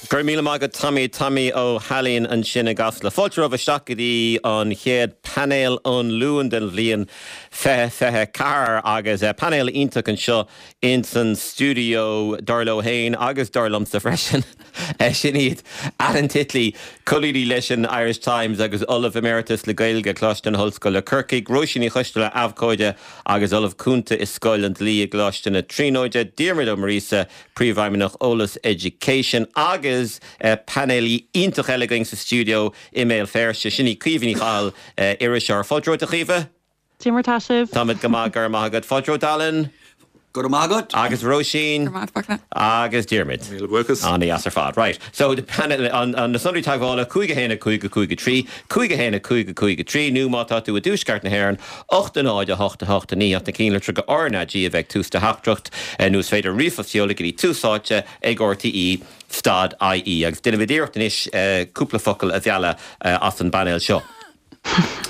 Go raibh míle maith agat Tommy, Tommy Ó hAilín ansin i gCasla. Fáilte romhaibh isteach go dtí an chéad painéal an Luain den bhliain 2024 agus painéal iontach anseo ins an stiúideo, dar leo féin agus dar liomsa freisin. Sin iad Alan Titley, colúnaí leis an Irish Times agus Ollamh Emeritus le Gaeilge, Coláiste na hOllscoile, Corcaigh, Róisín Ní Choisteala, Abhcóide agus Ollamh Cúnta i Scoil an Dlí i gColáiste na Tríonóide, Diarmuid Ó Muiríosa, Príomhfheidhmeannach Eolas Education agus painéalaí iontach eile againn sa stiúideo i mBéal Feirste, sin í Caoimhe Ní Chathail, iriseoir. Fáilte romhat a Chaoimhe. Cad é mar tá sibh? Táimid go maith, go raibh maith agat. Fáilte romhat Alan. Go raibh maith agat. Agus Róisín. Go raibh maith agat. Agus Diarmuid. Míle buíochas. An-dheas ar fad. Right, so the panel, an, na sonraí teagmhála, 5 1 5 5 3, 5 1 5 5 3, nó má tá tú i dtuaisceart na hÉireann, 8 0 8 8 9 ach na cinnlitreacha RnaG a bheith ag tús do theachtaireacht, nó is féidir ríomhphost a sheoladh go dtí Tús Áite ag RTÉ stad IE. Agus déanfaimid iarracht anois cúpla focal a mhealladh as an bpainéal seo.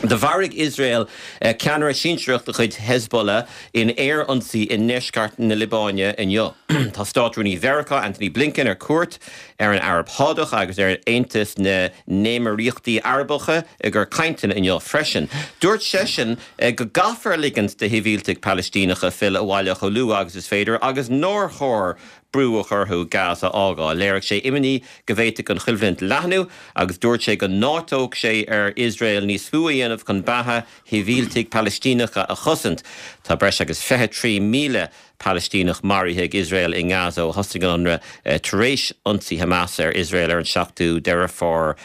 Do mharaigh Iosrael ceannaire sinsearach de chuid Hezbollah in aer-ionsaí i ndeisceart na Liobáine inniu. Tá Státrúnaí Mheiriceá Antony Blinken ar cuairt ar an Araib Shádach agus ar Aontas na nÉimíríochtaí Arabacha i gcomhair cainteanna inniu freisin. Dúirt seisean go gcaithfear ligint do shibhialtaigh Palaistíneacha filleadh abhaile chomh luath agus is féidir agus nár chóir brú a chur orthu Gaza a fhágáil. Léirigh sé imní go bhféadfadh an choimhlint leathnú agus dúirt sé go n-áiteodh sé ar Iosrael níos mó a dhéanamh chun beatha shibhialtaigh Palaistíneacha a chosaint. Tá breis agus 23,000 Palaistíneach maraithe ag Iosrael i nGaza ó thosaigh an ionradh tar éis ionsaí Hamas ar Iosrael ar an 7ú Deireadh Fómhair.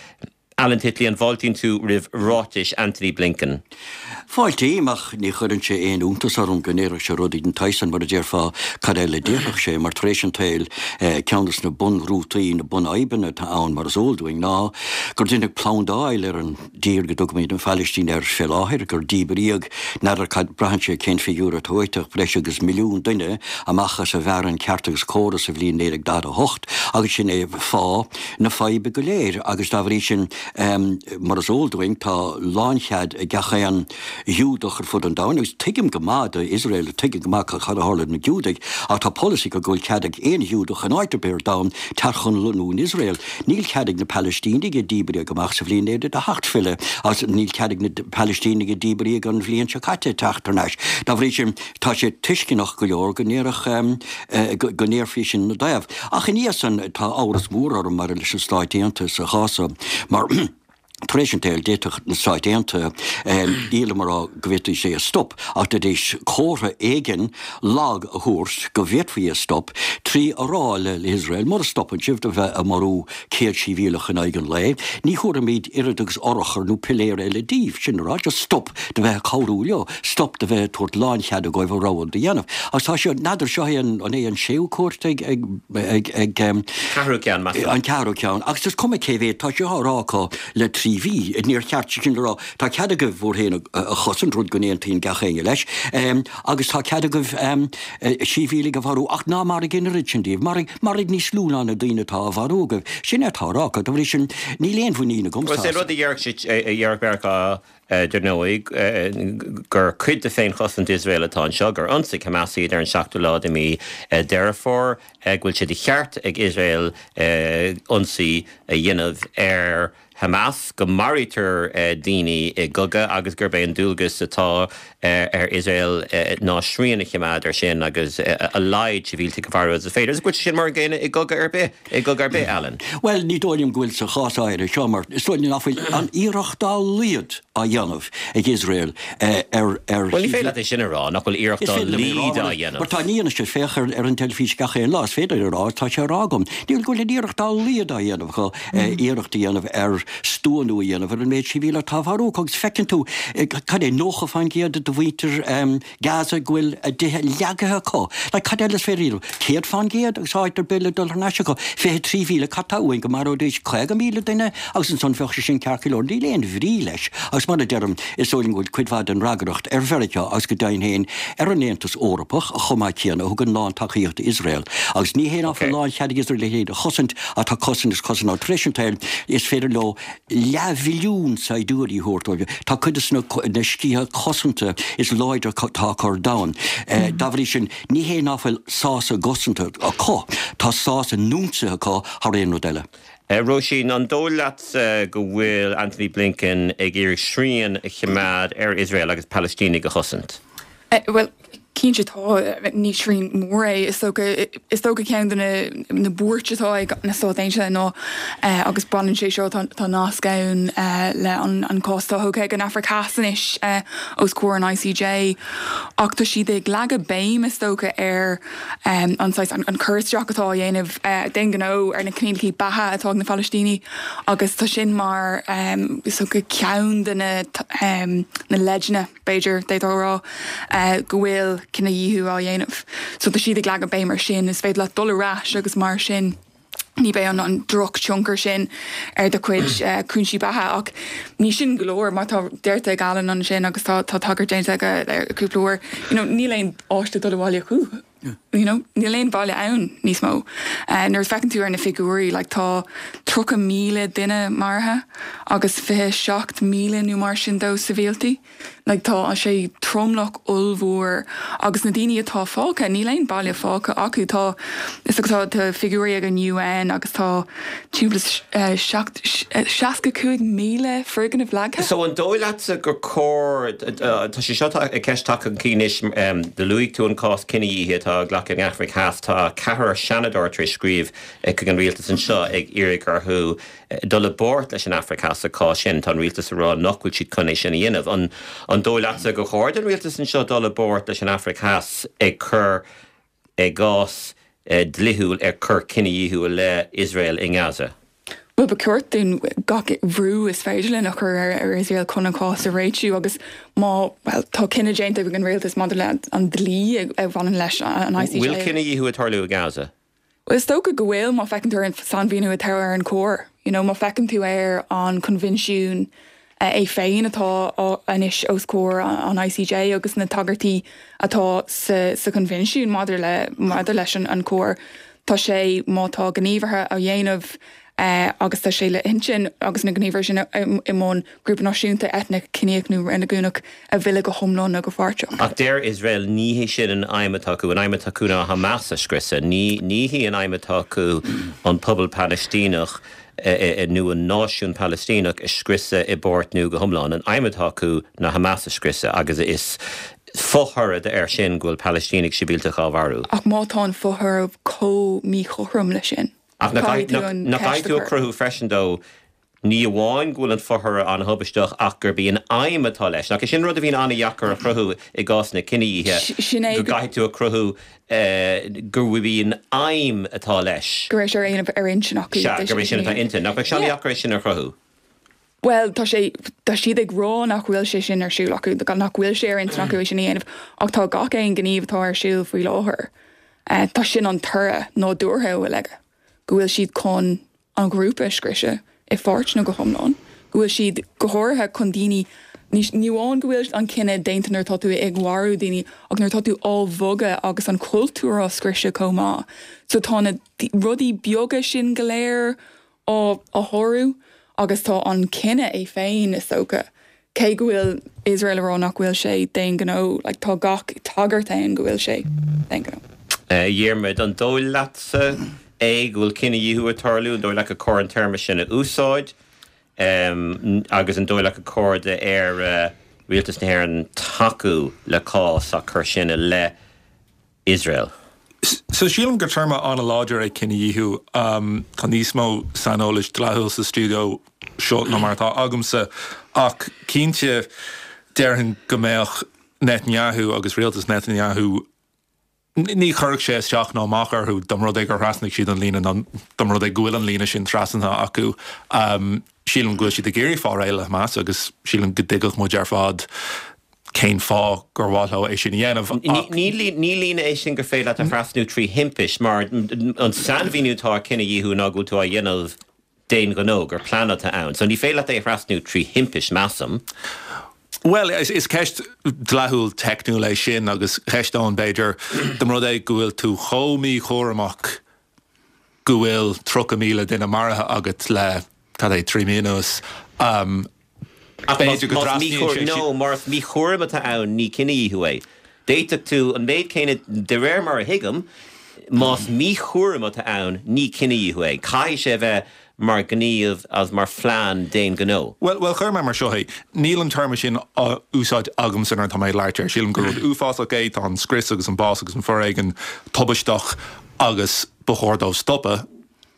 Alan Titley, an bhfáiltíonn tú roimh ráitis Antony Blinken? Fáiltím, ach ní chuireann sé aon iontas orm go ndéarfadh sé rudaí den tsaghas san, mar a déarfá, cad eile a déarfadh sé? Mar tar éis an tsaoil, ceann des na bunrútaí, na bunfhadhbanna atá ann, mar is eol dúinn, ná gur deineadh plandáil ar an dtír go dtugaimid an Phalaistín air fé láthair, gur díbríodh, n'fheadar cad, braitheann sé cén figiúr atá uait, ach breis agus milliún duine amach as a bhfearann ceart agus córa sa bhliain 1948, agus sin é fáth na faidhbe go léir, agus dá bhrí sin, mar is eol dúinn, tá lánchead ag gach aon Ghiúdach ar fud an domhain, agus tuigim go maith do Iosrael, tuigim go maith cad a tharla do na Giúdaigh, ach tá polasaí acu go bhfuil cead ag aon Ghiúdach in áit ar bith ar domhan teacht chun lonnú in Iosrael. Níl cead ag na Palaistínigh a díbríodh amach sa bhliain 1948 filleadh, agus níl cead ag na Palaistínigh a díbríodh an bhliain seo caite teacht thar n-ais. Dá bhrí sin, tá sé tuisceanach go leor go ndéarfadh, go ndéarfaí sin ina dtaobh. Ach ina dhiaidh san, tá amhras mór orm maidir leis na Stáit Aontaithe sa chás so, mar tar éis an tsaoil, d'fhéadfadh na Stáit Aontaithe, nílim ag rá go bhféadfaidís é a stop, ach d'fhéadfaidís comhartha éigin lag a thabhairt go bhféadfaí é a stop, trí a rá le hIosrael, mura stopann sibh de bheith ag marú 100 sibhialach in aghaidh an lae, ní thabharfaimid oiread agus urchar nó piléar eile daoibh, sin a rá, just stop de bheith ag cabhrú leo, stop de bheith ag tabhairt láncheada dóibh a rogha do dhéanamh. Agus tá seo, n'fheadar, seo é an, an é an séú cuairt ag, ag, ag, ag, Ceathrú ceann, measaim. An ceathrú ceann. Agus is cuma cé mhéad, tá sé á rá acu le trí mhí. Níor cheart sin a rá. Tá cead agaibh bhur féin a chosaint, rud go n-aontaíonn gach éinne leis, agus tá cead agaibh sibhialaigh a mharú, ach ná maraigh an oiread sin díobh. Maraigh, maraigh níos lú ná na daoine atá á mharú agaibh. Sin é atá á rá acu. Dá bhrí sin, níl aon mhuinín agamsa Bhuel, is é as. rud a déarfadh siad, a déarfadh Meiriceá, Dar ndóigh, gur cuid de féinchosaint Iosrael atá anseo, gur ionsaigh Hamas iad ar an seachtú lá de mhí Deireadh Fómhair, go bhfuil sé de cheart ag Iosrael ionsaí a dhéanamh ar Hamas, go maraítear daoine i gcogadh agus gurb é an dualgas atá ar Iosrael ná srian a choimeád air sin agus a laghad sibhialtaigh a mharú agus is féidir. Agus go bhfuil sé sin mar an gcéanna i gcogadh ar bith. I gcogadh ar bith, Alan. Bhuel, ní dóigh liom go bhfuil sa chás áirithe seo, mar is dóigh liom nach bhfuil aon iarracht dá laghad á dhéanamh ag Iosrael ar, ar. Bhuel, ní féidir leat é sin a rá, nach bhfuil iarracht Is dá féidir liom é a rá, laghad á mar, dhéanamh. mar tá an fhianaise, féach ar, ar an teilifís gach aon lá, is féidir a rá, tá sé á rá agam. Níl go bhfuil aon iarracht dá laghad á dhéanamh acu, iarracht a dhéanamh ar stuanú a dhéanamh ar an méid sibhialtach atá á mharú acu agus feiceann tú, cad é, 90% de mhuintir Gaza go bhfuil a dtithe leagaithe acu. Like, cad eile is féidir a dhéanamh? 100% agus áit ar bith le dul thar n-ais acu. 23,000, cad tá uainn? Go maróidís 50,000 duine agus ansan bheadh sé sin ceart go leor. Níl aon bhrí leis. Agus. Agus mar a deirim, is dóigh liom go bhfuil cuid mhaith den fhreagracht ar Mheiriceá agus go deimhin féin ar an Aontas Eorpach chomh maith céanna, a thugann lán-tacaíocht d'Iosrael. Agus ní hé ná fuil lánchead ag Iosrael é féin a chosaint, ach tá cosaint is cosaint ann. Tar éis an tsaoil, is féidir leo leathmhilliún saighdiúirí a thabhairt dóibh. Tá cuid de na sciatha cosanta is láidre atá acu ar domhan. Dá bhrí sin, ní hé ná fuil sás a gcosanta acu, tá sás a n-ionsaithe acu thar aon rud eile. Róisín, an dóigh leatsa go bhfuil Antony Blinken ag iarraidh srian a choimeád ar Iosrael agus Palaistínigh a chosaint? Bhuel, cinnte tá. Ní srian mór é. Is dócha, is dócha ceann de na buairt atá ag na Stáit Aontaithe ná, agus baineann sé seo, tá nasc ann le an cás atá thógtha ag an Afraic Theas anois os comhair an ICJ, ach tá siad ag leagadh béim, is dócha, ar an saghas, an cur isteach atá á dhéanamh d'aon ghnó ar na coinníollacha beatha atá ag na Palaistínigh agus tá sin mar, is dócha, ceann de na na leideanna, b'fhéidir, d'fhéadfá a rá, go bhfuil cinedhíothú á dhéanamh. So tá siad ag leagadh béim ar sin, is féidir leat dul ar ais agus mar sin ní bheidh an drochthionchar sin ar do chuid cúinsí beatha. Ach ní sin go leor, mar tá deirte ag Alan ansin agus tá tagairt déanta aige cúpla uair, you know, níl aon áit le dul abhaile acu. You know, níl aon bhaile ann níos mó. Nuair a feiceann tú ar na figiúirí, like, tá 30,000 duine maraithe agus 27,000 nó mar sin dó sibhialtaigh. Like, tá sé tromlach ollmhór agus na daoine atá fágtha, níl aon baile fágtha acu. Tá, is dócha, tá figiúirí ag an UN agus tá timpeall is 65,000 foirgneamh leagtha. So an dóigh leatsa gur cóir, tá sé seo ceist tagtha chun cinn anois, do luaigh tú an cás cinedhíothaithe atá á ghlacadh in Afraic Theas, tá ceathrar seanadóir tar éis scríobh chuig an rialtas anseo ag iarraidh orthu dul i bpáirt leis an Afraic Theas sa chás sin. Tá an rialtas ag rá nach bhfuil siad chun é sin a dhéanamh. An dóigh leatsa gur chóir don rialtas anseo dul i bpáirt leis an Afraic Theas ag cur i gcás dlíthiúil ar cur cinedhíothú i leith Iosrael i nGaza? Bhuel, ba cheart dúinn gach brú is féidir linn a chur ar Iosrael chun an cás a réitiú agus má, bhuel, tá cinneadh déanta ag an rialtas maidir le an dlí a bhaineann leis an ICJ. Bhfuil cinedhíothú ag tarlú i nGaza? Bhuel, is dócha go bhfuil, má feiceann tú ar an sainmhíniú atá ar an choir. You know, má feiceann tú ar an coinbhinsiún é féin atá anois os comhair an ICJ agus na tagairtí atá sa sa choinbhinsiún maidir le maidir leis an an choir, tá sé, má tá gníomhartha á dhéanamh agus tá sé le hintinn agus na gníomhartha sin i mbun grúpa náisiúnta, eitneach, ciníoch nó reiligiúnach a mhilleadh go hiomlán nó go páirteach. Ach deir Iosrael ní hé sin an aidhm atá acu. An aidhm atá acu ná Hamas a scriosadh. Ní ní hí an aidhm atá acu an pobal Palaistíneach nó an náisiún Palaistíneach a scriosadh i bpáirt nó go hiomlán. An aidhm atá acu ná Hamas a scriosadh agus is fothoradh air sin go bhfuil Palaistínigh sibhialtacha á mharú. Ach má tá an fothoradh chomh míchothrom leis sin. Ach nach gcaithfidh tú a chruthú freisin dó, ní amháin go bhfuil an fothoradh an-thubaisteach ach gurb í an aidhm atá leis. Nach é sin rud a bhíonn an-dheacair a chruthú i gcásanna cinedhíothaithe, go gcaithfidh tú a chruthú gurb í an aidhm atá leis. Go raibh sé ar ar intinn acu. Sea, gurb é sin atá intinn. Nach mbeadh sé an-dheacair é sin a chruthú? Bhuel, tá sé, tá siad ag rá nach bhfuil sé sin ar siúl acu, nach bhfuil sé ar intinn acu é sin a dhéanamh, ach tá gach aon ghníomh atá ar siúl faoi láthair, tá sin an toradh nádúrtha a bhfuil aige, go bhfuil siad chun an ghrúpa a scriosadh i pháirt nó go hiomlán, go bhfuil siad, go háirithe, chun daoine, ní amháin go bhfuil an cinneadh déanta nuair atá tú ag mharú daoine, ach nuair atá tú á bhogadh agus an cultúr á scriosadh chomh maith. So tá na rudaí beaga sin go léir á shárú agus tá an cinneadh é féin, is dócha, cé go bhfuil Iosrael ag rá nach bhfuil sé d'aon ghnó, like, tá gach tagairt ann go bhfuil sé d'aon ghnó. A Dhiarmaid, an dóigh leatsa é go bhfuil cinedhíothú ag tarlú? An dóigh leat gur cóir an téarma sin a úsáid? Agus an dóigh leat gur cóir d'Éire, Rialtas na hÉireann, tacú le cás á cur sin i leith Iosrael. So sílim gur téarma an-láidir é cinedhíothú. Tá níos mó saineolais dlíthiúil sa stiúideo seo ná mar atá agamsa, ach cinnte déarfainn go mbeadh Netanyahu agus rialtas Netanyahu, ní chuirfeadh sé isteach ná amach orthu dá mba rud é gur thrasnaigh siad an líne nó dá mba rud é go bhfuil an líne sin trasnaithe acu. Sílim go bhfuil siad ag iarraidh fáil réidh le Hamas agus sílim go dtuigfeadh muid ar fad cén fáth gur mhaith leo é sin a dhéanamh ach. Ní líne é sin gur féidir leat a thrasnú trí thimpist, mar an sainmhíniú atá ar cinedhíothú ná go bhfuil tú á dhéanamh D'aon ghnó, gur plean atá ann. So ní féidir leat é a thrasnú trí thimpist, measaim. Bhuel, is ceist dleathúil teicniúil é sin agus cheistóinn, b'fhéidir, dá mba rud é go bhfuil tú chomh míchúramach go bhfuil 30,000 duine maraithe agat le, cad é, 3 mí anuas, Ach b'fhéidir go dtrasnaíonn sé. No, más míchúram atá ann, ní cinedhíothú é. D'fhéadfadh tú an méid céanna, de réir mar a thuigim, más míchúram atá ann, ní cinedhíothú é. Caithfidh sé a bheith mar ghníomh agus mar phlean d'aon ghnó. Bhuel, bhuel, chuir mé mar seo é. Níl an téarma sin á úsáid agamsa nuair atá mé ag labhairt air. Sílim gur rud uafásach é, tá an scrios agus an bás agus an foréigean tubaisteach agus ba chóir dóibh stopadh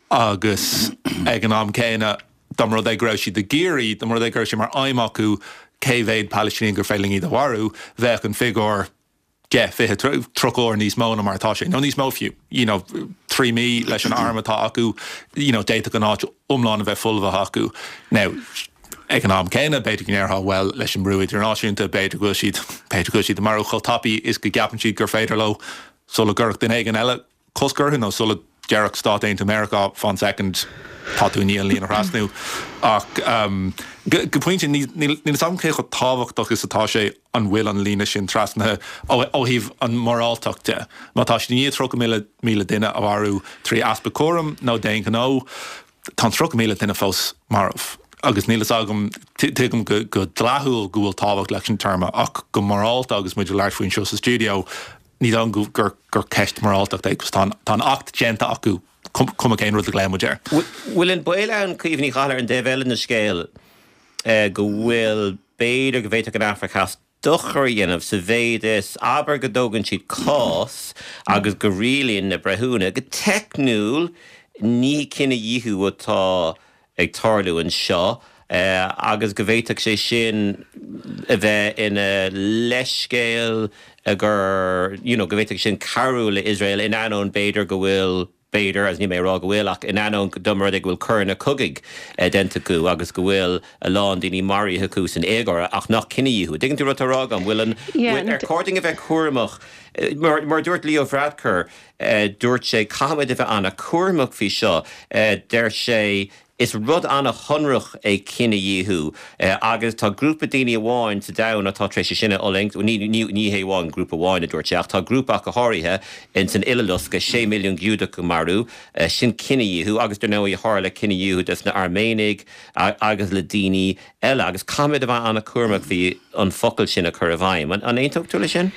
agus ag an am céanna, Dá mba rud é go raibh siad ag iarraidh, dá mba rud é go raibh sé mar aidhm acu cé mhéad Palaistíneach gur féidir linn iad a mharú, bheadh an figiúr 10, 20, 30 uair níos mó ná mar atá sé, nó níos mó fiú. You know, 3 mí leis an arm atá acu, you know, d'fhéadfadh an áit iomlán a bheith folmhaithe acu. Now, ag an am céanna, b'fhéidir go ndéarfá, bhuel, leis an mbrú idirnáisiúnta, b'fhéidir go bhfuil siad, b'fhéidir go bhfuil siad ag marú chomh tapaidh is go gceapann siad gur féidir leo sula gcuirfeadh duine éigin eile cosc orthu nó sula déarfadh Stáit Aontaithe Meiriceá fan soicind, tá tú i ndiaidh an líne a thrasnú. Ach go pointe, níl a fhios agam cé chomh tábhachtach is atá sé an bhfuil an líne sin trasnaithe ó thaobh an mhoráltacht de. Má tá siad i ndiaidh 30,000 duine a mharú trí easpa cúraim nó d'aon ghnó, tá an 30,000 duine fós marbh. Agus níl a fhios agam, tuigim go dleathúil go bhfuil tábhacht leis an téarma, ach go morálta agus muid ag labhairt faoi anseo sa stiúideo, Ní dóigh liom gur ceist moráltachta é, tá an acht déanta acu, cuma cén rud a ghlaonn muid air. Bhfuil an baol ann, Caoimhe Ní Chathail, ar an dtaobh eile den scéal, go bhfuil, b'fhéidir go bhféadfadh an Afraic Theas dochar a dhéanamh sa mhéid is, abair go dtógann siad cás agus go rialaíonn na breithiúna, go teicniúil ní cinedhíothú atá ag tarlú anseo agus go bhféadfadh sé sin a bheith ina leithscéal gur, you know, go bhféadfadh sin cabhrú le Iosrael in ainneoin b'fhéidir go bhfuil, b'fhéidir, agus níl mé ag rá go bhfuil, ach in ainneoin dá mba rud é go bhfuil coireanna cogaidh déanta acu agus go bhfuil a lán daoine maraithe acu san éagóir ach nach cinedhíothú. Tuigeann tú rud atá á rá agam? Bhfuil an, bhfuil, ar chóir dúinn a bheith cúramach? Mar, mar a dúirt Leo Varadkar, Dúirt sé, Caithfimid a bheith an-chúramach faoi seo. Deir sé, Is rud an-shonrach é cinedhíothú agus tá grúpa daoine amháin sa domhan atá tar éis é sin a fhulaingt, ní, ní hé amháin grúpa amháin, a dúirt sé, ach tá grúpa ach go háirithe ins an Uileloscadh, 6 milliún Giúdach a marú, sin cinedhíothú agus dar ndóigh tharla cinedhíothú des na Airméanaigh agus le daoine eile agus caithfimid a bheith an-chúramach faoi an focal sin a chur i bhfeidhm. An aontódh tú leis sin?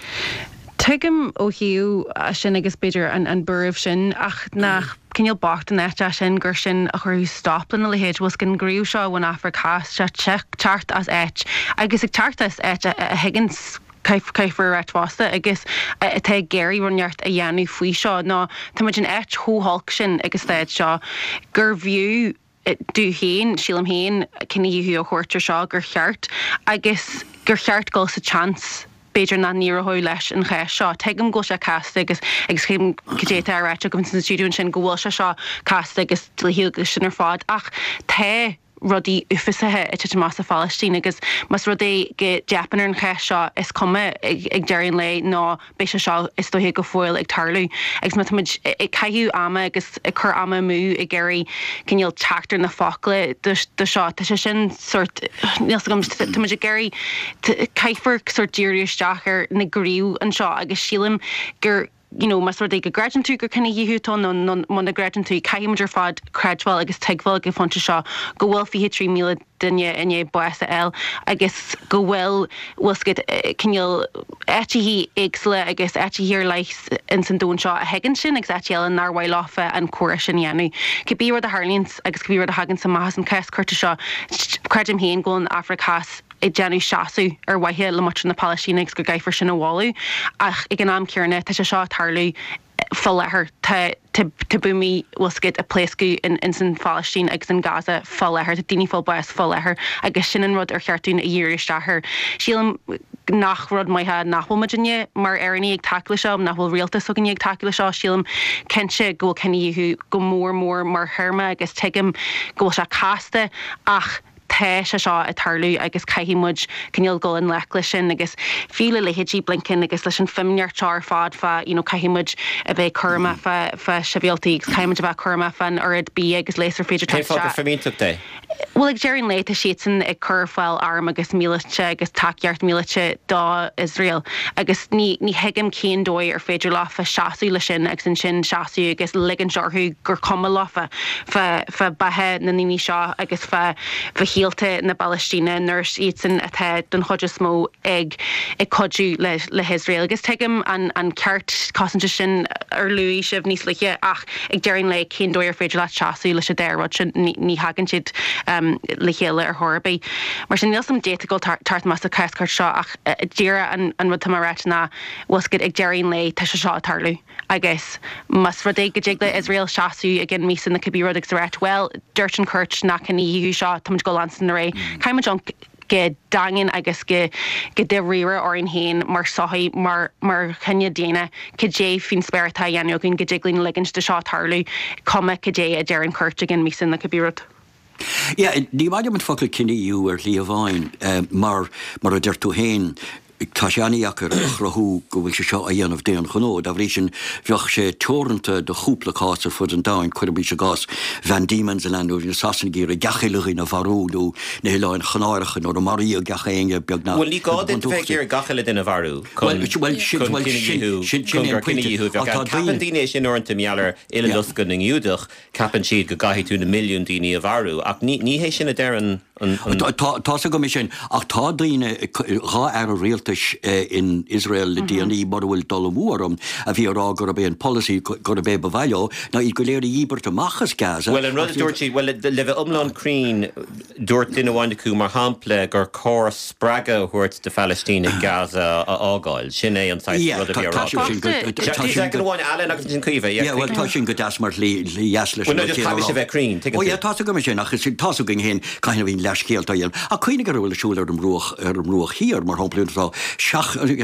Tuigim ó thaobh sin agus b'fhéidir an buaireamh sin ach nach cineál bocht an áit é sin gur sin a chuirfeadh stop lena leithéid. Bhfuil 's agat an gníomh seo ón Afraic Theas, sé teacht as áit agus ag teacht as áit a thuigeann caithfear a ráit fosta agus atá ag iarraidh rud inteacht a dhéanamh faoi seo nó tá muid in áit chomh holc sin ag an staid seo gur bhfiú domh féin, sílim féin, cinedhíothú a thabhairt ar seo, gur cheart, agus gur cheart dul sa tseans, b'fhéidir nach n-éireoidh leis an chás seo. Tuigim go bhfuil sé casta agus agus tuigim cad é atá á ráit agaibh sa stiúideo ansin, go bhfuil sé seo casta agus dlíthiúil agus sin ar fad, ach tá rudaí uafásacha ag titim amach sa Phalaistín agus más rud é go dteipeann ar an chás seo, is cuma ag deireadh an lae nó beidh sé seo is dóiche go fóill ag tarlú agus má táimid ag caitheamh ama agus ag cur ama amú ag iarraidh cineál teacht ar na focla do seo, tá sé sin sórt, níl 's agam, táimid ag iarraidh, caithfear sórt díriú isteach ar na gnímh anseo agus sílim gur, you know, más rud é go gcreideann tú gur cinedhíothú atá ann nó muna gcreideann tú, caithfidh muid ar fad creidbheáil agus tuigbheáil ag an phointe seo go bhfuil 23,000 duine i ndiaidh bás a fháil agus go bhfuil, bhfuil 's agat, cineál áiteachaí éagsúla agus áiteachaí ar leith ins an domhan seo a thuigeann sin agus áiteachaí eile nár mhaith leofa an comhrá sin a dhéanamh. Cibé rud a tharlaíonns agus cibé rud a thaganns amach as an cás cúirte seo, creidim féin go bhfuil an Afraic Theas ag déanamh seasamh ar mhaithe le muintir na Palaistíne agus go gcaithfear sin a mholadh ach ag an am céanna tá sé seo ag tarlú fá láthair. Tá tá buamaí, bhfuil 's agat, ag pléascadh in ins an Phalaistín agus in Gaza fá láthair. Tá daoine ag fáil bás fá láthair agus sin an rud ar cheart dúinn a dhíriú isteach air. Sílim nach rud maith é nach bhfuil muidinne mar Éireannaigh ag tacú le seo, nach bhfuil rialtas s'againne ag tacú le seo. Sílim cinnte go bhfuil cinedhíothú go mór mór mar théarma agus tuigim go bhfuil sé casta ach. Tá sé seo ag tarlú agus caithfidh muid cineál dul i ngleic leis sin agus fiú le leithéidí Blinken agus leis an fimíneacht seo ar fad fá you know caithfidh muid a bheith cúramach fá fá sibhialtaigh agus caithfidh muid a bheith cúramach fán oiread bia agus leigheas ar féidir Cén teacht fáth gur isteach. fimínteacht é? Bhuel, ag deireadh an lae, tá siadsan ag cur ar fáil arm agus míleata agus tacaíocht míleata do Iosrael agus ní ní thuigim cén dóigh ar féidir leofa seasamh le sin agus ansin seasamh agus ligint orthu gur cuma leofa fá fá beatha na ndaoine seo agus fá fá shaolta na Palaistíne nuair is iadsan atá don chuid is mó ag ag cuidiú le le hIosrael. Agus tuigim an an ceart cosanta sin ar luaigh sibh níos luaithe ach Ag deireadh an lae, cén dóigh ar féidir leat seasamh leis an dá rud sin? Ní thagann siad le chéile ar chor ar bith. Mar sin, níl 's a'm caidé atá ag dul teacht amach sa chás cúirte seo ach díreach an rud atá mé a ráit ná, bhfuil 's agat, ag deireadh an lae, tá sé seo ag tarlú agus más rud é go dtig le Iosrael seasamh i gcionn míosa nó cibé rud agus a ráit, bhuel, dúirt an chúirt nach cinedhíothú seo, táimid ag dul leanstan ar aghaidh, caithfidh muid amharc go daingean agus go go dáiríre orainn féin mar sochaí, mar mar chine daonna, cad é faoin spéir atá á dhéanamh againn go dtig linn ligint do seo tarlú, cuma cad é a deir an chúirt i gcionn míosa nó cibé rud. Yeah, ní maith liom an focal cinedhíothú ar shlí amháin, mar, mar a deir tú féin, Tá sé an-dheacair a chruthú go bhfuil sé seo á dhéanamh d'aon ghnó. Dá bhrí sin, bheadh sé teoranta do chúpla cás ar fud an domhain, cuirimis i gcás Van Diemen's Land nuair a bhí na Sasanaigh ag iarraidh gach uile dhuine a mharú nó na hOileáin Chanáracha nuair a maraíodh gach éinne beagnach. Bhuel, ní gá duit bheith ag iarraidh gach uile duine a mharú chun cinedhíothú, chun gur cinedhíothú a bheadh ann. Ceapann daoine é sin uaireanta mar gheall ar Uileloscadh na nGiúdach, ceapann siad go gcaithfidh tú na milliúin daoine a mharú, ach ní hé sin a deir an. Tá's agam é sin, ach tá daoine, 2 aire rialtais in Iosrael le déanaí, mura bhfuil dul amú orm, a bhí ag rá gurb é an polasaí, gurb é ba mhaith leo, ná iad go léir a dhíbirt amach as Gaza. Bhuel, an rud a dúirt siad, bhuel, le bheith iomlán cruinn, dúirt duine amháin acu, mar shampla, gur cóir spreagadh a thabhairt do Phalaistínigh Gaza a fhágáil. Sin é an saghas rud a bhí á rá acu. Soicind amháin, Alan, agus ansin Caoimhe. Yeah, bhuel, tá sin go deas mar shlí dheas leis an rud céanna a rá. Bhuel, no, just caithfidh sé bheith cruinn, tuigeann tú. Oh yeah, tá's agam é sin, ach is tá's againn féin cathain a bhíonn leathscéalta á dhéanamh. Ach cuimhnigh ar a bhfuil ar siúl ar an mBruach, ar an mBruach Thiar, mar shampla, tá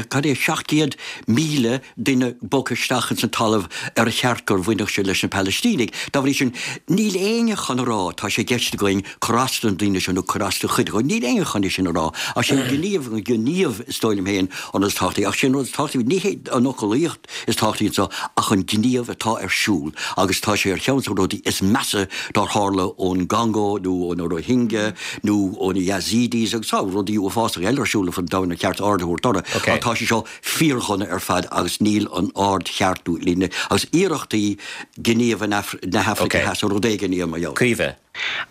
cad é, 700,000 duine bogtha isteach ins an talamh ar cheart gur bhainfeadh sé leis na Palaistínigh. Dá bhrí sin, níl éinne chun a rá, tá sé i gceist againn cur as do na daoine seo nó cur as do chuid acu. Níl éinne chun é sin a rá. Ach sé an gníomh, an gníomh is dóigh liom féin an rud is tábhachtaí. Ach sé an rud is tábhachtaí, ní hé an fhoclaíocht is tábhachtaí anseo ach an gníomh atá ar siúl agus tá sé ar cheann de na rudaí is measa dár tharla ón gCongó nó ó na Rohingya nó ó na Yazidis agus tá rudaí uafásacha eile ar siúl ar fud an domhain ar cheart aird a thabhairt orthu. Ach tá sé seo fíordhona ar fad agus níl an aird cheart nó líne agus iarrachtaí gníomh na hAfraice Theas nó rud éigin a dhéanamh mar gheall. Caoimhe.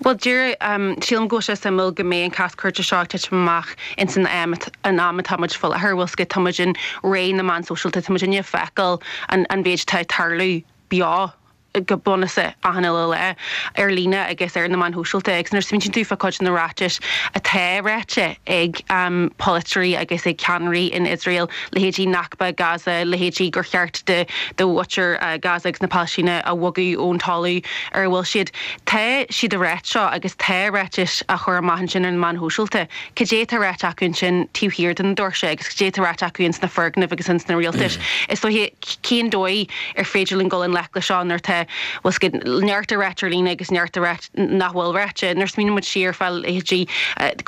Bhuel, díreach, sílim go bhfuil sé suimiúil go mbeidh an cás cúirte seo ag titim amach ins an am an am atá muid faoi láthair, bhfuil 's agat, tá muid in ré na meán sóisialta, tá muid ag feiceáil an an mhéid atá ag tarlú beo go bunúsach achan uile lá ar líne agus ar na meáin shóisialta agus nuair a smaointíonn tú fá cuid de na ráitis atá ráite ag polaiteoirí agus ag ceannairí in Iosrael, leithéidí Nakba Gaza, leithéidí gur cheart do do mhuintir Gaza agus na Palaistíne a bhogadh ón talamh ar a bhfuil siad. Tá siad ag ráit seo agus tá ráitis á chur amach ansin ar na meáin shóisialta. Cad é atá ráite acu ansin taobh thiar de na doirse agus cad é atá ráite acu ins na foirgnimh agus ins na rialtais? Is dóiche, cén dóigh ar féidir linn dul i ngleic leis seo nuair atá, bhfuil 's agat, neart á ráit ar líne agus neart á ráit nach bhfuil ráite. Nuair a smaoiníonn muid siar fá leithéidí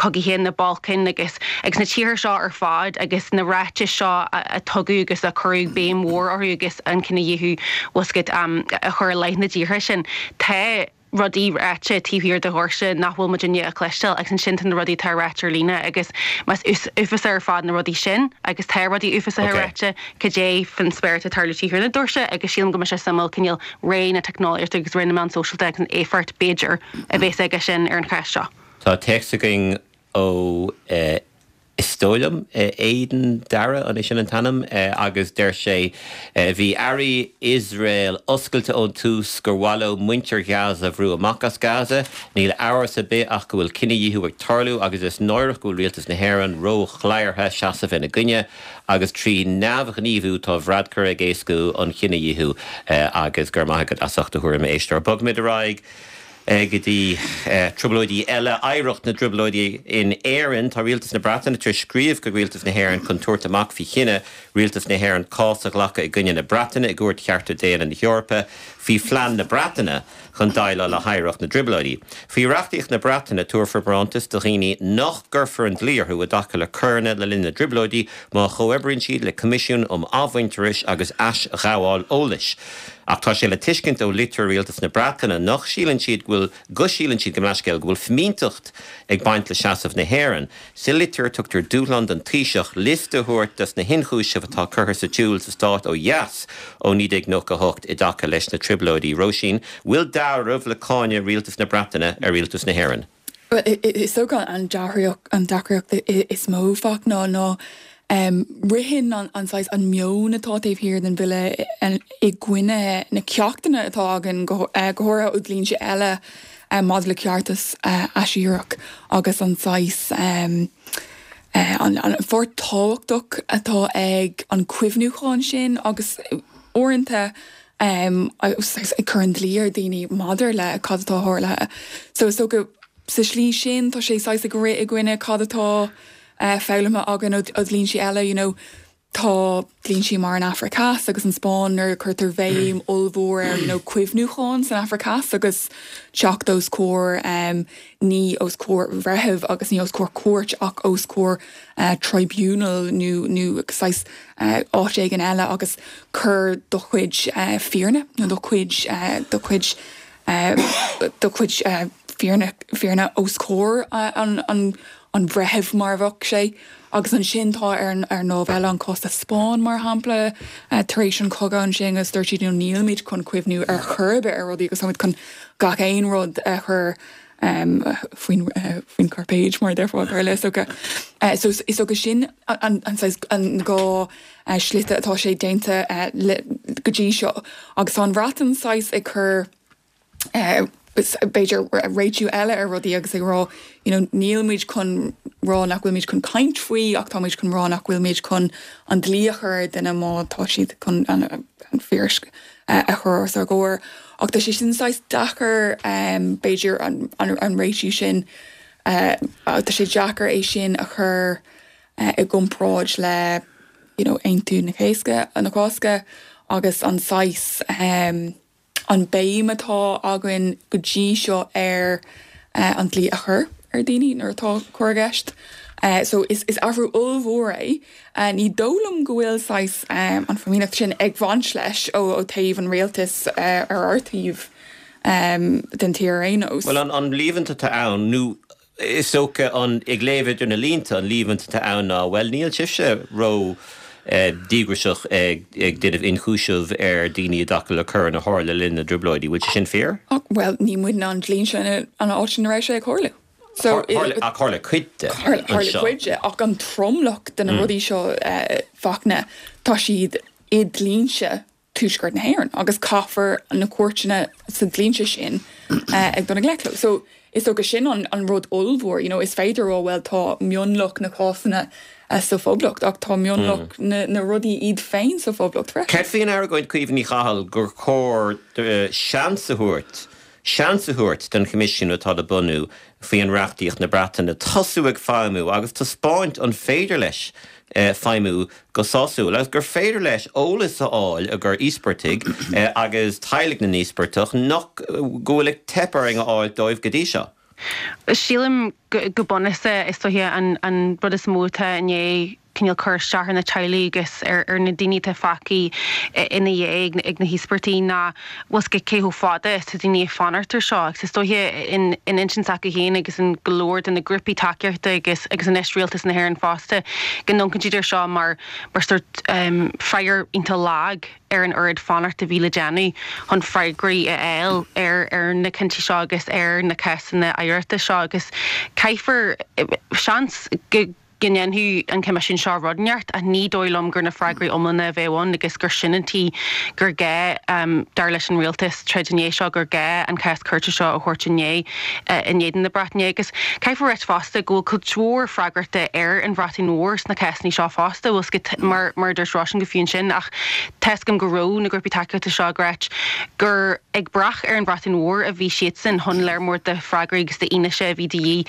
cogaithe na Balcáin agus agus na tíortha seo ar fad agus na ráitis seo a tugadh agus a cuireadh béim mhór orthu agus an cinedhíothú, bhfuil 's agat, a chur i leith na dtíortha sin. Tá rudaí ráite taobh thiar de dhoirse nach bhfuil muidinne a chloisteáil agus ansin tá na rudaí atá ráite ar líne agus más uafásach ar fad na rudaí sin agus tá rudaí uafásacha ráite, cad é faoin spéir atá ag tarlú taobh thiar na doirse agus sílim go mbeidh sé suimiúil cineál ré na teicneolaíochta agus ré na meán sóisialta agus an éifeacht, b'fhéidir, a bheas aige sin ar an chás seo. Tá téacs againn ó Is dóigh liom, Aidan Dara, an é sin an t-ainm? Agus deir sé, Bhí airí Iosrael oscailte ón tús gur mhaith leo muintir Ghaza a bhrú amach as Gaza. Níl amhras ar bith ach go bhfuil cinedhíothú ag tarlú agus is náireach go bhfuil rialtas na hÉireann ró-chladhartha seasamh ina gcoinne agus trí neamhghníomhú tá Varadkar ag éascú an chinedhíothú agus go raibh maith agat as ucht do thuairim, a éisteoir. Bogfaimid ar aghaidh. Go dtí trioblóidí eile, oidhreacht na dtrioblóidí in Éirinn. Tá Rialtas na Breataine tar éis scríobh chuig Rialtas na hÉireann chun tabhairt amach faoi chinneadh Rialtas na hÉireann cás a ghlacadh i gcoinne na Breataine i gCúirt Chearta Daonna na hEorpa faoi phlean na Breataine chun déileáil le hoidhreacht na dtrioblóidí. Faoi reachtaíocht na Breataine, tabharfar barántas do dhaoine nach gcuirfear an dlí orthu i dtaca le coireanna le linn na dtrioblóidí má chomhoibríonn siad le Coimisiún um Athmhuintearais agus Aisghabháil Eolais. Ach tá sé le tuiscint ó litir Rialtas na Breataine nach síleann siad go bhfuil, go síleann siad, gabh mo leithscéal, go bhfuil fimínteacht ag baint le seasamh na hÉireann. Sa litir, tugtar dúshlán don Taoiseach liosta a thabhairt des na hionchúisimh atá curtha sa tsiúl sa stát ó dheas ó 1998 i dtaca leis na Trioblóidí. Róisín, bhfuil dealramh le cáineadh Rialtas na Breataine ar Rialtas na hÉireann? Bhuel, is dócha an deacracht is mó, Fachtna, ná ritheann an saghas, an meon atá taobh thiar den bhille i gcoinne na ceachtanna atá againn, go háirithe ó dhlínsí eile maidir le ceartas aisiríoch agus an saghas, an pháirt tábhachtach atá ag an cuimhniúchán sin agus uaireanta ag cur an dlí ar daoine maidir le cad atá tharlaithe. So is dócha sa slí sin tá sé saghas ag rith i gcoinne cad atá foghlamtha againn ó dhlínsí eile, you know tá dlínsí mar an Afraic Theas agus an Spáinn nuair a cuirtear bhéim ollmhór ar you know cuimhniúchán san Afraic Theas agus teacht os comhair ní os comhair bhreithimh agus ní os comhair cúirt ach os comhair tribunal nó nó saghas áit éigin eile agus cur do chuid fírinne nó do chuid do chuid do chuid fírinne fírinne os comhair an an an bhreithimh mar a bheadh sé. Agus ansin tá ar an ar an lámh eile an cás sa Spáinn mar shampla tar éis an chogadh ansin agus dúirt siad you know nílimid chun cuimhniú ar chor ar bith ar rudaí agus táimid chun gach aon rud a chur faoin faoin chairpéad mar a déarfá i mBéarla is dócha. So is dócha sin an saghas an dá slite atá sé déanta go dtí seo agus tá an Bhreatain saghas ag cur b'fhéidir réitiú eile ar rudaí agus ag rá you know níl muid chun rá nach bhfuil muid chun caint faoi ach tá muid chun rá nach bhfuil muid chun an dlí a chur ar duine má tá siad chun an fhírinne a chur os ár gcomhair. Ach tá sé sin saghas deacair b'fhéidir an réitiú sin tá sé deacair é sin a chur i gcomparáid le you know Aontú na Cásca na Cásca agus an saghas an béim atá againn go dtí seo ar an dlí a chur ar daoine nuair atá coir i gceist. So is athrú ollmhór é. Ní dóigh liom go bhfuil saghas an fhimíneacht sin ag baint leis ó taobh an rialtais ar ár taobh den tír ar aon nós. Bhuel, an líomhaint atá ann, nó Is dócha, an, ag léamh idir na línte, an líomhaint atá ann ná, bhuel, níl sibhse ró díograiseach ag déanamh ionchúiseamh ar daoine i dtaca le coireanna a tharla le linn na dTrioblóidí. Bhfuil sé sin fíor? Bhuel, ní muidne an dlínse an áit ina raibh sé ag tarlú. So, Ach tharla cuid de anseo. Tharla cuid de, ach an tromlach de na rudaí seo, Fachtna, tá siad i dlínse Tuaisceart na hÉireann agus caithfear na cúirteanna sa dlínse sin ag dul i ngleic leo. So is dócha sin an rud ollmhór, you know, is féidir a rá bhuel tá mionlach na cásanna sa Phoblacht ach tá mionlach na rudaí iad féin sa Phoblacht freisin. Cad faoin argóint, Caoimhe Ní Chathail, gur chóir seans a thabhairt seans a thabhairt don Choimisiún atá le bunú faoi reachtaíocht na Breataine tosú ag feidhmiú agus taispeáint an féidir leis feidhmiú go sásúil agus gur féidir leis eolas a fháil a gcuir íospartaigh agus teaghlaigh na n-íospartach nach go bhfuil ag teip orainn a fháil dóibh go dtí seo. Sílim go bunúsach is dóiche an rud is mó atá i ndiaidh cineál cur isteach ar na teaghlaigh agus ar na daoine atá fágtha ina dhiaidh ag na híospartaigh ná bhfuil 's agat cé chomh fada is tá daoine ag fanacht ar seo agus is dóiche in intinn s'acu féin agus in go leor de na grúpaí tacaíochta agus agus anois Rialtas na hÉireann fosta go n-amharcann siad ar seo mar mar sórt freagra iontach lag ar an oiread fanacht a bhí le déanamh chun freagraí a fháil ar ar na cinntí seo agus ar na cásanna oidhreachta seo agus caithfear seans go. go ndéanfadh an Coimisiún seo rud inteacht ach ní dóigh liom gur na freagraí iomlána a bheadh ann agus gur sin an tuige gur gá, dar leis an rialtas, troid i ndiaidh seo, gur gá an cás cúirte seo a thabhairt in in éadan na Breataine. Agus caithfear a ráit fosta go bhfuil cuid mhór freagrachta ar an Bhreatain Mhór sna cásanna seo fosta, bhfuil 's agat, mar mar a dúirt Róisín go fiú ansin ach tá's agam go raibh na grúpaí tacaíochta seo ag ráit gur ag brath ar an Bhreatain Mhór a bhí siadsan chun léar mór de freagraí agus d'fhianaise a bhí de dhíth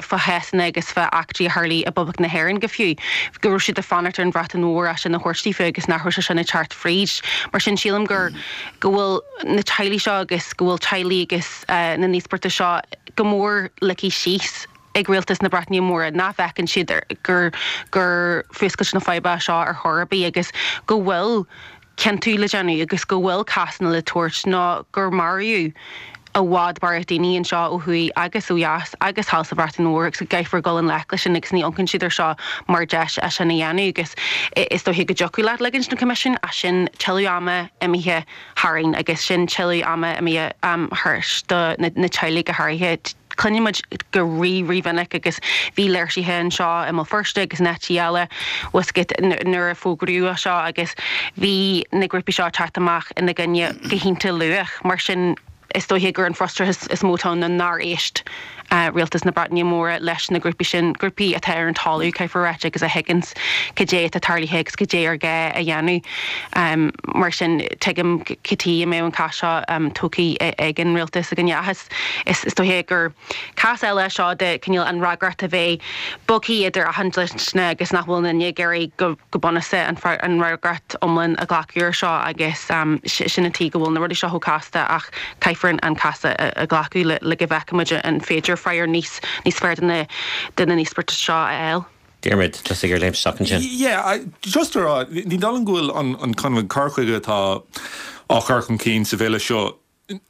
fá chásanna agus fá eachtraí a tharlaigh i bPoblacht na hÉireann go fiú, go raibh siad ag fanacht ar an Bhreatain Mhór é sin a thabhairt daofa agus nach raibh sé sin ag teacht fríd. Mar sin sílim gur go bhfuil na teaghlaigh seo agus go bhfuil teaghlaigh agus na n-íospartach seo go mór ligthe síos ag rialtas na Breataine Móire, nach bhfeiceann siad gur gur fuascailt na faidhbe seo ar chor ar bith agus go bhfuil ciontú le déanamh agus go bhfuil cásanna le tabhairt nó gur maraíodh i bhfad barraíocht daoine anseo ó thuaidh agus ó dheas agus thall sa Bhreatain Mhór agus go gcaithfear dul i ngleic leis sin agus ní amharcann siad ar seo mar deis é sin a dhéanamh agus is dóiche go dtiocfadh leat ligint don Choimisiún ach sin tuilleadh ama imithe tharainn agus sin tuilleadh ama imithe thairis do na teaghlaigh go háirithe. Cluineann muid go rí-rímhinic agus bhí léirsithe anseo i mBéal Feirste agus in áiteacha eile bhfuil 's agat nuair a fógraíodh é seo agus bhí na grúpaí seo ag teacht amach ina gcoinne go hiontach luath. Mar sin is dóiche gur an frustrachas is mó atá ann ná nár éist rialtas na Breataine Móire leis na grúpaí sin, grúpaí atá ar an talamh, caithfear a ráit, agus a thuigeanns cad é atá tarlaithe agus cad é ar gá a dhéanamh. Mar sin tuigim cad chuige a mbeadh an cás seo tógtha ag an rialtas againne. Ach is Is dóiche gur cás eile é seo de cineál an fhreagracht a bheith bogtha idir achan dliteanach agus nach bhfuil aon duine ag iarraidh go bunúsach an fhreagracht iomlán a ghlacadh ar seo agus sin an tuige go bhfuil na rudaí seo chomh casta ach caithfear an cás a ghlacadh le go bhfeicfimid an féidir freagra níos níos fearr do na do na n-íospartaigh seo a fháil. Diarmuid, tosaigh ar léim isteach ansin. Yeah, just a rá, ní dóigh liom go bhfuil an kind of cur chuige atá á chur chun cinn sa bhille seo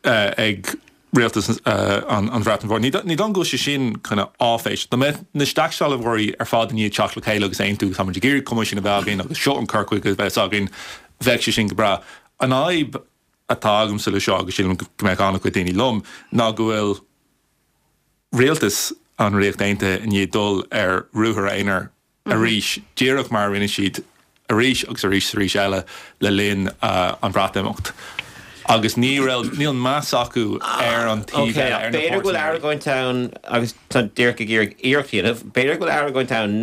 ag rialtas an Bhreatain Mhór. Ní dóigh liom go bhfuil sé sin kind of áiféiseach. Dá mbeadh na scairshealbhóirí ar fad i ndiaidh teacht le chéile agus aontú tá muid ag iarraidh coimisiún a bheith againn agus seo an cur chuige a bheas againn, bheadh sé sin go breá. An fhadhb atá agamsa le seo, agus sílim go mbeadh an-chuid daoine liom, ná go bhfuil rialtas an Ríocht Aontaithe i ndiaidh dul ar ruathar aonair arís, díreach mar a rinne siad arís agus arís is arís eile le linn an Bhreatimeacht. Agus ní raibh, níl meas acu ar an taobh eile, ar na B'fhéidir go bhfuil páirtnéirí. argóint ann, agus tá Diarmuid ag iarraidh iarracht a dhéanamh, b'fhéidir go bhfuil argóint ann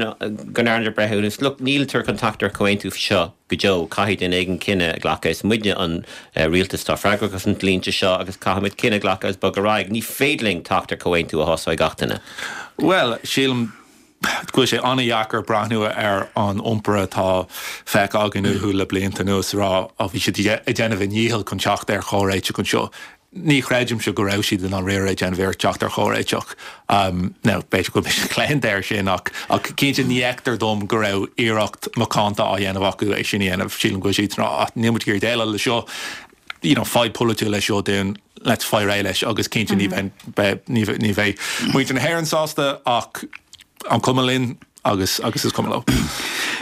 go ndearnadh breithiúnas, look, níltear chun teacht ar chomhaontú seo go deo, caithfidh duine éigin cinneadh a ghlacadh, is muidne an rialtas atá freagrach as an dlínse seo agus caithfimid cinneadh a ghlacadh agus bogadh ar aghaidh, ní féidir linn teacht ar chomhaontú a shásóidh gach duine. Bhuel, sílim go bhfuil sé an-dheacair breathnú ar an iompar atá feicthe againn uathu le blianta anuas a rá, á bhí siad ag déanamh a ndícheall chun teacht ar chomhréiteach anseo. Ní chreidimse go raibh siad i ndáiríre ag déanamh iarracht teacht ar chomhréiteach. Now, b'fhéidir go bhfuil mise claonta air sin ach cinnte ní fheictear dom go raibh iarracht macánta á dhéanamh acu é sin a dhéanamh. Sílim go bhfuil siad ag rá, ah, níl muid ag iarraidh déileáil le seo, you know, fadhb pholaitiúil é seo dúinn, let's fáil réidh leis agus cinnte ní bheidh, ní bheidh muintir na hÉireann sásta ach an cuma linn agus agus is cuma leo.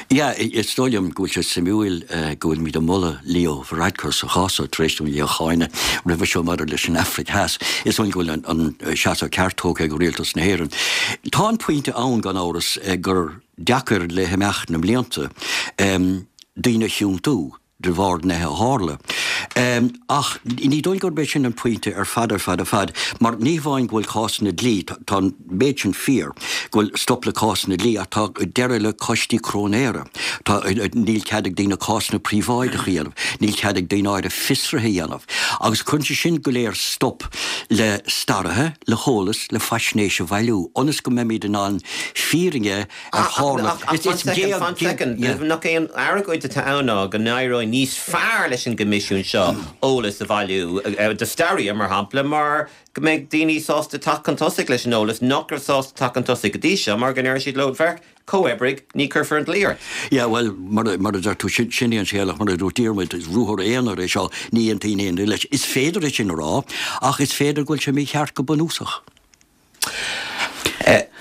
Yeah, is dóigh liom go bhfuil sé suimiúil go bhfuilimid ag moladh Leo Varadkar sa chás seo tar éis dúinn é a cháineadh roimhe seo maidir leis an Afraic Theas. Is dóigh liom go bhfuil an seasamh ceart tógtha ag rialtas na hÉireann. Tá an pointe ann, gan amhras, gur deacair le himeacht na mblianta daoine a chiontú. de bharr nithe a tharla. Ach ní dóigh gurb é sin an pointe ar fad ar fad ar fad, mar ní hamháin go bhfuil cásanna dlí, tá an méid sin fíor, go bhfuil stop le cásanna dlí, ach tá deireadh le coistí cróinéara, tá, níl cead ag daoine cásanna príobháideacha a dhéanamh, níl cead ag daoine áirithe fiosruithe a dhéanamh. Agus cuireann sé sin go léir stop le staraithe, le heolas, le faisnéis a bhailiú, ionas go mbeimid in ann fírinne ar tharla. Ach fan soicind, fan soicind, nach é an argóint atá ann ná go n-éireoidh níos fearr leis an gCoimisiún seo eolas a bhailiú, do staraithe, mar shampla, mar go mbeidh daoine sásta teacht chun tosaigh leis an eolas nach raibh sásta teacht chun tosaigh go dtí seo mar go ndeir siad leo, féach, comhoibrigh, ní chuirfear an dlí ort. Yeah, bhuel, mar a deir tú, sin é an scéal ach mar a dúirt Diarmuid, is ruathar aonair é seo, ní aontaíonn aon duine leis. Is féidir é sin a rá, ach is féidir go bhfuil sé mícheart go bunúsach.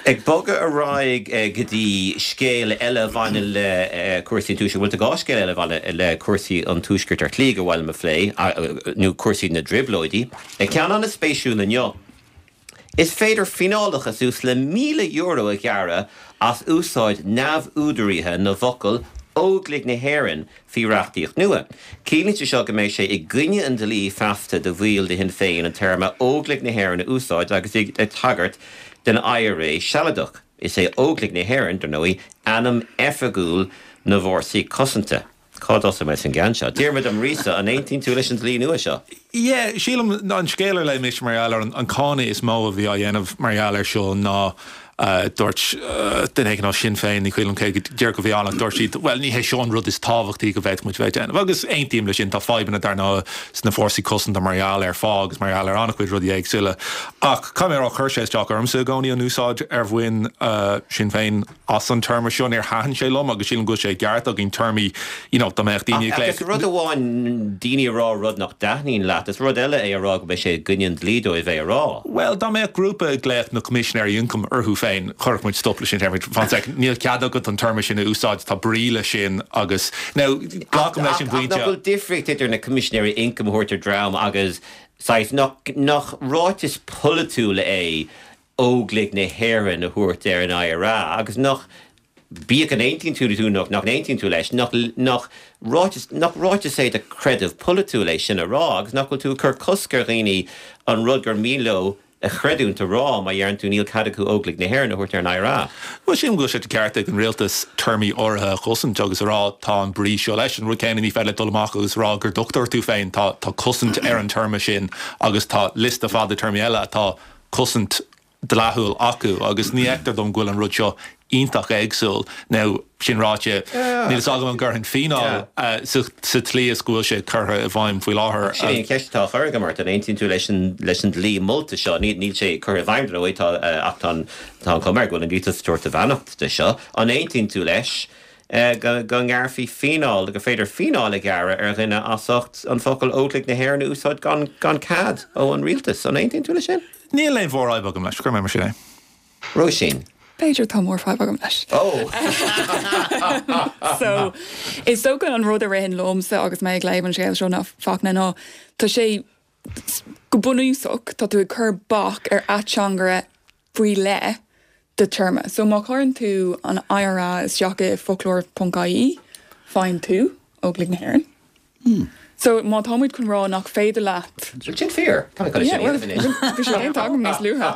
Ag bogadh ar aghaidh go dtí scéal eile a bhaineann le cúrsaí an Tuaiscirt, bhuel tá dhá scéal eile a bhaineann le cúrsaí an Tuaiscirt ar shlí gur mhaith liom a phlé, nó cúrsaí na dTrioblóidí. Ceann an-spéisiúil inniu, is féidir fíneálacha suas le €1,000 a ghearradh as úsáid neamhúdaraithe na bhfocal 'Óglaigh na hÉireann' faoi reachtaíocht nua. Ciallaíonn sé seo go mbeidh sé i gcoinne an dlí feasta do bhaill de Shinn Féin an téarma 'Óglaigh na hÉireann' a úsáid agus iad ag tagairt den IRA Sealadach. Is é Óglaigh na hÉireann, dar ndóigh, ainm oifigiúil na bhFórsaí Cosanta. Cá dtosóidh mé leis an gceann seo? Diarmuid Ó Muiríosa, an aontaíonn tú leis an dlí nua seo? Yeah, sílim, an scéal ar léigh mise mar gheall air, an cáineadh is mó a bhí á dhéanamh mar gheall air seo ná dúirt duine éigin ó Shinn Féin, ní cuimhin liom cé go díreach a bhí ann, ach dúirt siad, bhuel, ní hé seo an rud is tábhachtaí go bhféadfadh muid a bheith ag déanamh. Agus aontaím leis sin, tá fadhbanna dar ndóigh sna fórsaí cosanta mar gheall ar phá agus mar gheall ar an-chuid rudaí éagsúla. Ach caithfidh mé a rá, chuir sé isteach ormsa i gcónaí an úsáid ar bhain Sinn Féin as an téarma seo. Níor thaitin sé liom agus sílim go bhfuil sé i gceart againn téarmaí, you know, dá mbeadh daoine ag Ach is rud amháin daoine a rá rud nach dtaitníonn leat, is rud eile é a rá go mbeidh sé i gcoinne an dlí dóibh é a rá. Bhuel, dá mbeadh grúpa ag glaoch na Coimisinéirí Ioncaim orthu féin, chuirfeadh muid stop leis sin. Déarfadh muid, fan sec, níl cead agat an téarma sin a úsáid, tá brí leis sin agus, now, glacaim leis an Ach bpointe. nach bhfuil difríocht idir na Coimisinéirí Ioncaim a thabhairt ar dream agus saghas, nach, nach ráiteas polaitiúil é Óglaigh na hÉireann a thabhairt ar an IRA agus nach, bíodh an aontaíonn tú tú nó nach n-aontaíonn tú leis, nach, nach ráiteas, nach ráiteas é de chreideamh polaitiúil é sin a rá agus nach bhfuil tú ag cur cosc ar dhaoine an rud gur mian leo a chreidiúint a rá má dheireann tú níl cead acu Óglaigh na hÉireann a thabhairt ar an IRA. Bhuel, sílim go bhfuil sé de cheart ag an rialtas téarmaí áirithe a chosaint agus a rá tá an brí seo leis. An rud céanna ní féidir leat dul amach agus rá gur dochtúir tú féin, tá, tá cosaint ar an téarma sin agus tá liosta fada téarmaí eile atá cosaint dleathúil acu agus ní fheictear dom go bhfuil an rud seo iontach éagsúil. Now, sin ráite, níl fhios agam an gcuirfinn fíneáil sa tslí is go bhfuil sé curtha i bhfeidhm faoi láthair. Sin é an cheist atá á chur agam ort, an aontaíonn tú leis an leis an dlí molta seo? Níl sé curtha i bhfeidhm, dar ndóigh, tá ach tá an tá an chuma air go bhfuil an rialtas ag tabhairt a bheannacht de seo. An aontaíonn tú leis go go ngearrfaí fíneáil, gur féidir fíneáil a ghearradh ar dhuine as ucht an focal Óglaigh na hÉireann a úsáid gan gan cead ó an rialtas? An aontaíonn tú leis sin? Níl aon mhórfhadhb agam leis, cuirfidh mé mar sin é. Róisín. B'fhéidir tá mórfhadhb agam leis. Ó! So, is dócha an rud a ritheann liomsa agus mé ag léamh an scéil seo ná Fachtna ná tá sé go bunúsach tá tú ag cur bac ar ateangaire faoi leith de téarma. So má chuireann tú an IRA isteach i foclóir ponc ie faigheann tú Óglaigh na hÉireann. So má tá muid chun rá nach féidir leat. Bhfuil sin fíor? Tá mé chun é sin a dhéanamh anois. Bhí sé déanta agam níos luaithe.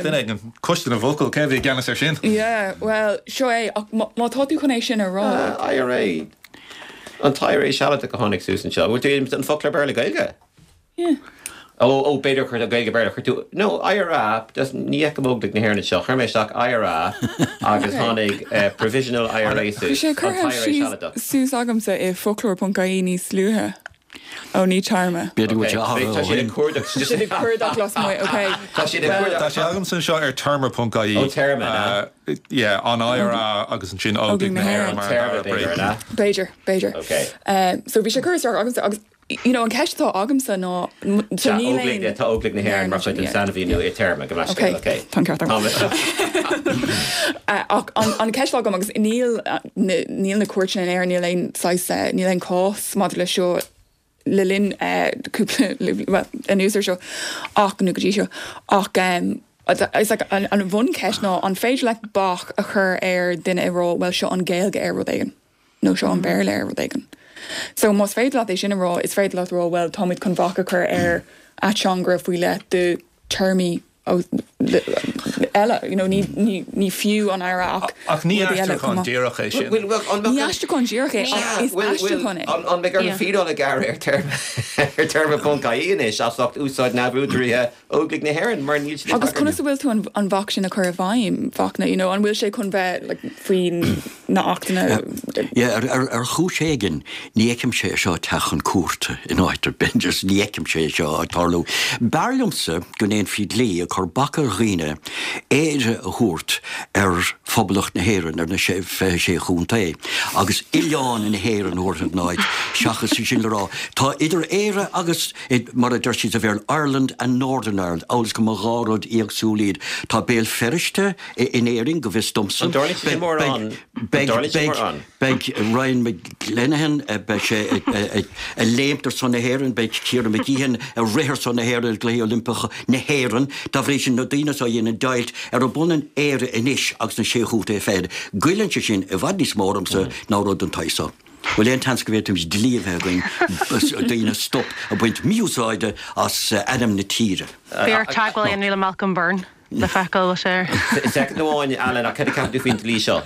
Duine éigin, Coiste na bhFocal, cé a bhí i gceannas air sin? Yeah, bhuel, seo é, ach má tá tú chun é sin a rá. IRA, an t-IRA Sealadach a tháinig suas anseo. Bhfuil tú an foclóir Béarla-Gaeilge? Yeah. Ó, ó, b'fhéidir chuir tú Gaeilge Béarla, chuir tú, no, IRA, just ní fheicim Óglaigh na hÉireann anseo, chuir mé isteach IRA agus tháinig Provisional IRA Bhí suas, sé an curtha t-IRA síos, Sealadach. suas agamsa i foclóir ponc ie níos luaithe. Ó, ní téarma. B'fhéidir go Ok, bhfuil sé athrú tá ó siad ag shin. cuardach, Tá siad ag cuardach lasmuigh, ok. Tá siad ag cuardach. Tá sé agamsa anseo ar téarma ponc ie. Ó, téarma, an ea? Yeah, an IRA agus ansin Óglaigh na hÉireann mar an Téarma, dara brí. b'fhéidir, an ea? B'fhéidir, b'fhéidir. Ok. So bhí sé curtha isteach agamsa agus You know, an ceist atá agamsa ná, so Tá níl Óglaigh, aon. tá Óglaigh na hÉireann mar chuid den sainmhíniú i téarma, gabh mo leithscéal, Ok, ok. tá an ceart agam. Ach an ceist atá agam, agus níl, níl na cúirteanna in Éirinn, níl aon saghas, níl aon chás maidir leis seo le linn cúpla, bhuel, anuas ar seo, ach, nó go dtí seo, ach is like an bhuncheist ná an féidir leat bac a chur ar duine ag rá, bhuel, seo an Ghaeilge ar rud éigin? nó seo an Béarla ar rud éigin. So más féidir leat é sin a rá, is féidir leat a rá, bhuel, táimid chun bac a chur ar ateangaire faoi leith de téarmaí eile, you know, ní, ní, ní fiú an IRA ach Ach ní rudaí eile chomh aistriúchán maith. díreach é sin. Bhfuil, bhfuil, an Ní mbeadh an, aistriúchán díreach é, ach is bhfuil, bhfuil, aistriúchán é. an, an mbeidh orthu fíneáil a ghearradh ar téarma, ar téarma ponc ie anois as ucht úsáid neamhúdaraithe Óglaigh na hÉireann mar níl siad ag Agus tagairt. conas a bhfuil tú an an bhac sin a chur i bhfeidhm, Fachtna, you know, an bhfuil sé chun bheith like faoi na achtanna? Yeah, ar, ar, ar chúis éigin, ní fheicimse é seo ag teacht chun cúirte in áit ar bith, just ní fheicimse é seo ag tarlú. B'fhearr liomsa go ndéanfaí dlí ag cur bac ar dhaoine Éire a thabhairt ar Phoblacht na hÉireann, ar na 26 chontae, agus Oileán na hÉireann a thabhairt ina áit, seachas é sin le rá. Tá idir Éire agus. Mar a deir siad sa Bhéarla, Ireland and Northern Ireland, amhail is go mba dhá rud éagsúil iad. Tá Béal Feirste in Éirinn, go bhfios domsa. An dtarlaíonn sé sin mórán? An dtarlaíonn sé mórán? Beidh Ryan McLenaghan, beidh sé ag léimt ar son na hÉireann, beidh Ciara Mageean ag rith ar son na hÉireann i gCluichí Oilimpeacha na hÉireann. Dá. bhrí sin, na daoine so a dhéanann deighilt arb ionann Éire anois agus na Sé Chontae Fichead, goilleann sé sin i bhfad níos mó ormsa ná rud den tsaghas so. Bhfuil aon tseans go bhféadfaimis dlí a bheith againn daoine stop ag baint mí-úsáide as ainm na tíre? Beidh ort teagmháil a dhéanamh le Malcolm Byrne le feiceáil bhfuil sé ar. Soicind amháin, Alan, ach cad a ceapann tú faoin dlí seo?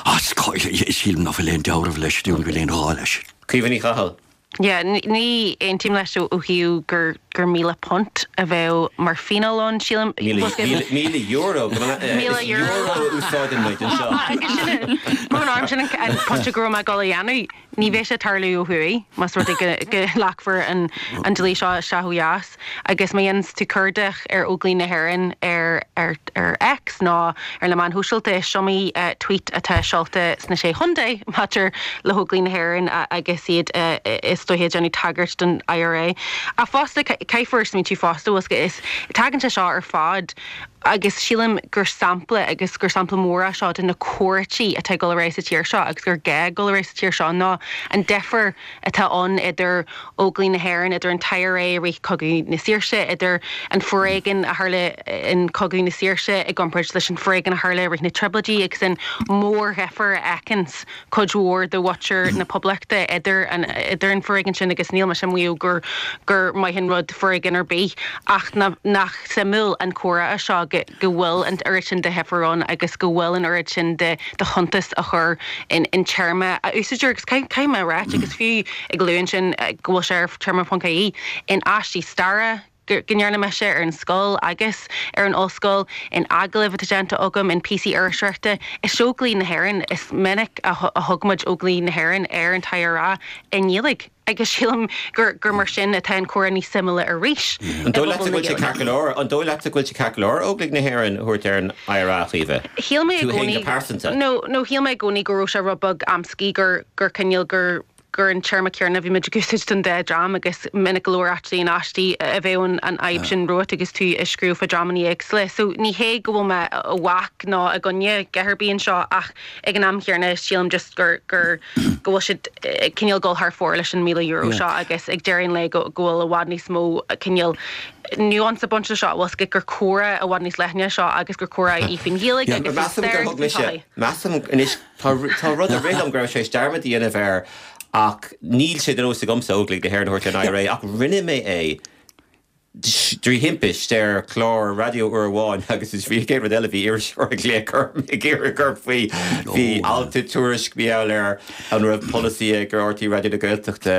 Ah, sílim nach bhfuil aon dealramh leis, ní bhfuil aon ghá leis. Caoimhe Ní Chathail. Yeah, ní aontaím leis ó thaobh gur £1,000 a bheadh mar phionós ann, sílim. €1,000, is euro a úsáideann muid anseo. Agus sin é, mar an arm sin an pointe go raibh mé ag dul a dhéanamh, ní bheidh sé ag tarlú ó thuaidh, más rud é go nglacfar an dlí seo isteach ó dheas. Agus má dhéananns tú cuardach ar Óglaigh na hÉireann ar ar X nó ar na meáin shóisialta, is iomaí tweet atá seolta sna Sé Chontae maidir le hÓglaigh na hÉireann agus iad is dóiche ag déanamh tagairt don IRA. Ach fosta, caithfear smaointiú fosta, bhfuil is tagann sé seo ar fad agus sílim gur sampla agus gur sampla mór é seo de na comhráití atá ag dul ar aghaidh sa tír seo agus gur gá dul ar aghaidh sa tír seo ná an difear atá ann idir Óglaigh na hÉireann, idir an tIRA i rith Cogadh na Saoirse, idir an foréigean a tharla in Cogadh na Saoirse i gcomparáid leis an foréigean a tharla i rith na Trioblóidí agus an mórdhifear a fheiceanns cuid mhór de mhuintir na Poblachta idir an idir an foréigean sin agus níl mise ag maíomh gur gur maith an rud foréigean ar bith ach nach suimiúil an comhrá é seo go go bhfuil an oiread sin de dhifear ann agus go bhfuil an oiread sin de chuntas á chur in téarma a úsáidtear agus caithfidh mé a ráit agus fiú ag lua ansin go bhfuil sé ar téarma.ie in aistí staire go ndearna mise ar an scoil agus ar an ollscoil, in agallaimh atá déanta agam, in píosaí iriseoireachta, is Óglaigh na hÉireann is minic a thug muid Óglaigh na hÉireann ar an tIRA i nGaeilge. Agus sílim gur gur mar sin atá an comhrá níos suimiúla arís An dóigh leatsa go bhfuil sé ceart go leor, an dóigh leatsa go bhfuil sé ceart go leor Óglaigh na hÉireann a thabhairt ar an IRA, a Chaoimhe? Shíl mé i Tú féin go gcónaí, pearsanta. nó nó shíl mé i gcónaí go raibh sé rud beag amscaí gur gur cineál gur gur an téarma céanna a bhí muid ag úsáid don dá dream agus minic go leor actually in aistí a bheadh an an fhadhb sin romhat agus tú ag scríobh fá dreamanna éagsúla. So ní hé go bhfuil mé i bhfách nó i gcoinne dhath ar bith anseo ach ag an am chéanna sílim just gur gur go bhfuil siad ag cineál dul thar fóir leis an €1,000 seo agus ag deireadh an lae go go bhfuil i bhfad níos mó cineál nuance ag baint leis seo, bhfuil gur comhrá i bhfad níos leithne seo agus gur comhrá í faoin Ghaeilge agus faoin Measaim stair gur agus thug faoin mise, tsochaí. measaim anois tá tá rud a rith liom go raibh sé dearmad a dhéanamh air ach níl sé de nós agamsa Óglaigh na hÉireann a thabhairt ar an IRA ach rinne mé é trí thimpist ar chlár raidió uair amháin agus is bhí an chéad rud eile bhí iriseoir ag glaoch orm ag iarraidh gur faoi bhí alt i Tuairisc mar gheall ar an raibh polasaí ag RTÉ Raidió na Gaeltachta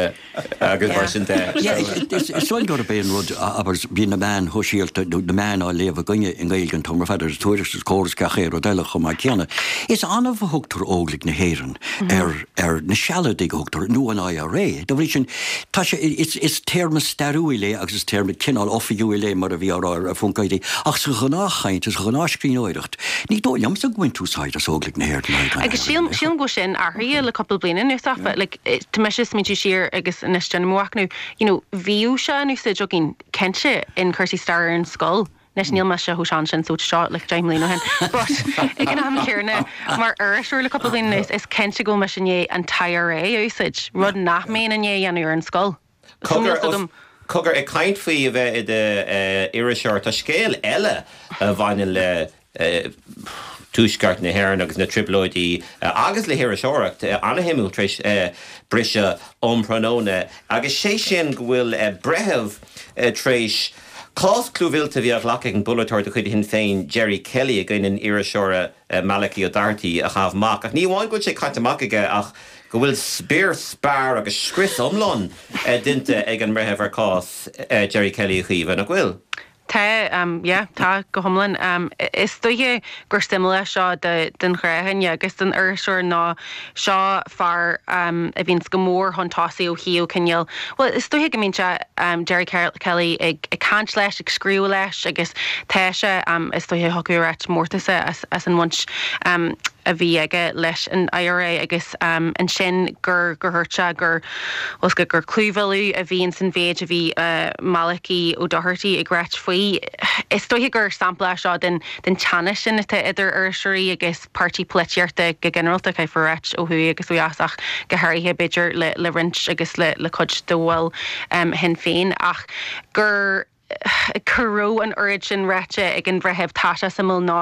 agus mar sin de. Is dóigh gurb é an rud, abair, bíonn na meáin shóisialta nó na meáin á léamh againne i nGaeilge an t-am ar fad agus Tuairisc agus Comhar agus gach aon rud eile chomh maith céanna. Is annamh a thugtar Óglaigh na hÉireann ar ar na Sealadaigh a thugtar, nó an IRA. Dá bhrí sin, tá sé, is, is téarma stairiúil é agus is téarma cineál oifigiúil é mar a bhí á rá ar phonc ie, ach sa ghnáthchaint, sa ghnáthscríbhneoireacht, ní dóigh liomsa go mbaintear úsáid as Óglaigh na hÉireann in aghaidh an Agus sílim, IRA. sílim go bhfuil sin athraithe le cúpla bliain anuas áfach. Like, tá mise ag smaointiú siar agus anois déanaim mo mhachnamh, you know, bhíodh sé in úsáid againn, cinnte, in cúrsaí staire ar an scoil. Anois níl mise chomh sean sin so seo like 10 mbliana ó shin but ag an am céanna mar iriseoir le cúpla bliain anuas is cinnte go bhfuil mise i ndiaidh an tIRA a úsáid, rud nach mbeinn i ndiaidh a dhéanamh ar an scoil. So níl Cogar, 's agam. cogar, ag caint faoi a bheith i d'iriseoir, tá scéal eile a bhaineann le Tuaisceart na hÉireann agus na Trioblóidí agus le hiriseoireacht ana-shuimiúil tar éis briseadh um thráthnóna agus sé sin go bhfuil breitheamh tar éis cás clúmhillte a bhí á ghlacadh ag an bpolaiteoir de chuid Shinn Féin Gerry Kelly i gcoinne an iriseora Malachy Ó Dochartaigh a chaitheamh amach. Ach ní amháin go bhfuil sé caite amach aige ach go bhfuil spior spear agus scrios iomlán déanta ag an mbreitheamh ar chás Gerry Kelly a Chaoimhe, nach bhfuil? Tá, yeah, tá, go hiomlán. Is dóiche gur suimiúla seo don ghnáthdhuine agus don iriseoir ná seo fear a bhíonns go mór chun tosaigh ó thaobh cineál, bhuel, is dóiche go mbíonn sé, Gerry Kelly ag caint leis, ag scríobh leis agus tá sé, is dóiche thiocfadh a ráit, mórtasach as an bhaint a bhí aige leis an IRA agus ansin gur gur dhúirt sé gur bhfuil 's gur clúmhilleadh a bhí ins an mhéid a bhí Malachy Ó Dochartaigh ag ráit faoi. Is dóiche gur sampla é seo den den teannas sin atá idir iriseoirí agus páirtí polaitíochta go ginearálta, caithfear a ráit, ó thuaidh agus ó dheas ach go háirithe b'fhéidir le le roinnt agus le le cuid de bhaill Shinn Féin ach gur. go raibh an oiread sin ráite ag an bhreitheamh tá sé suimiúil ná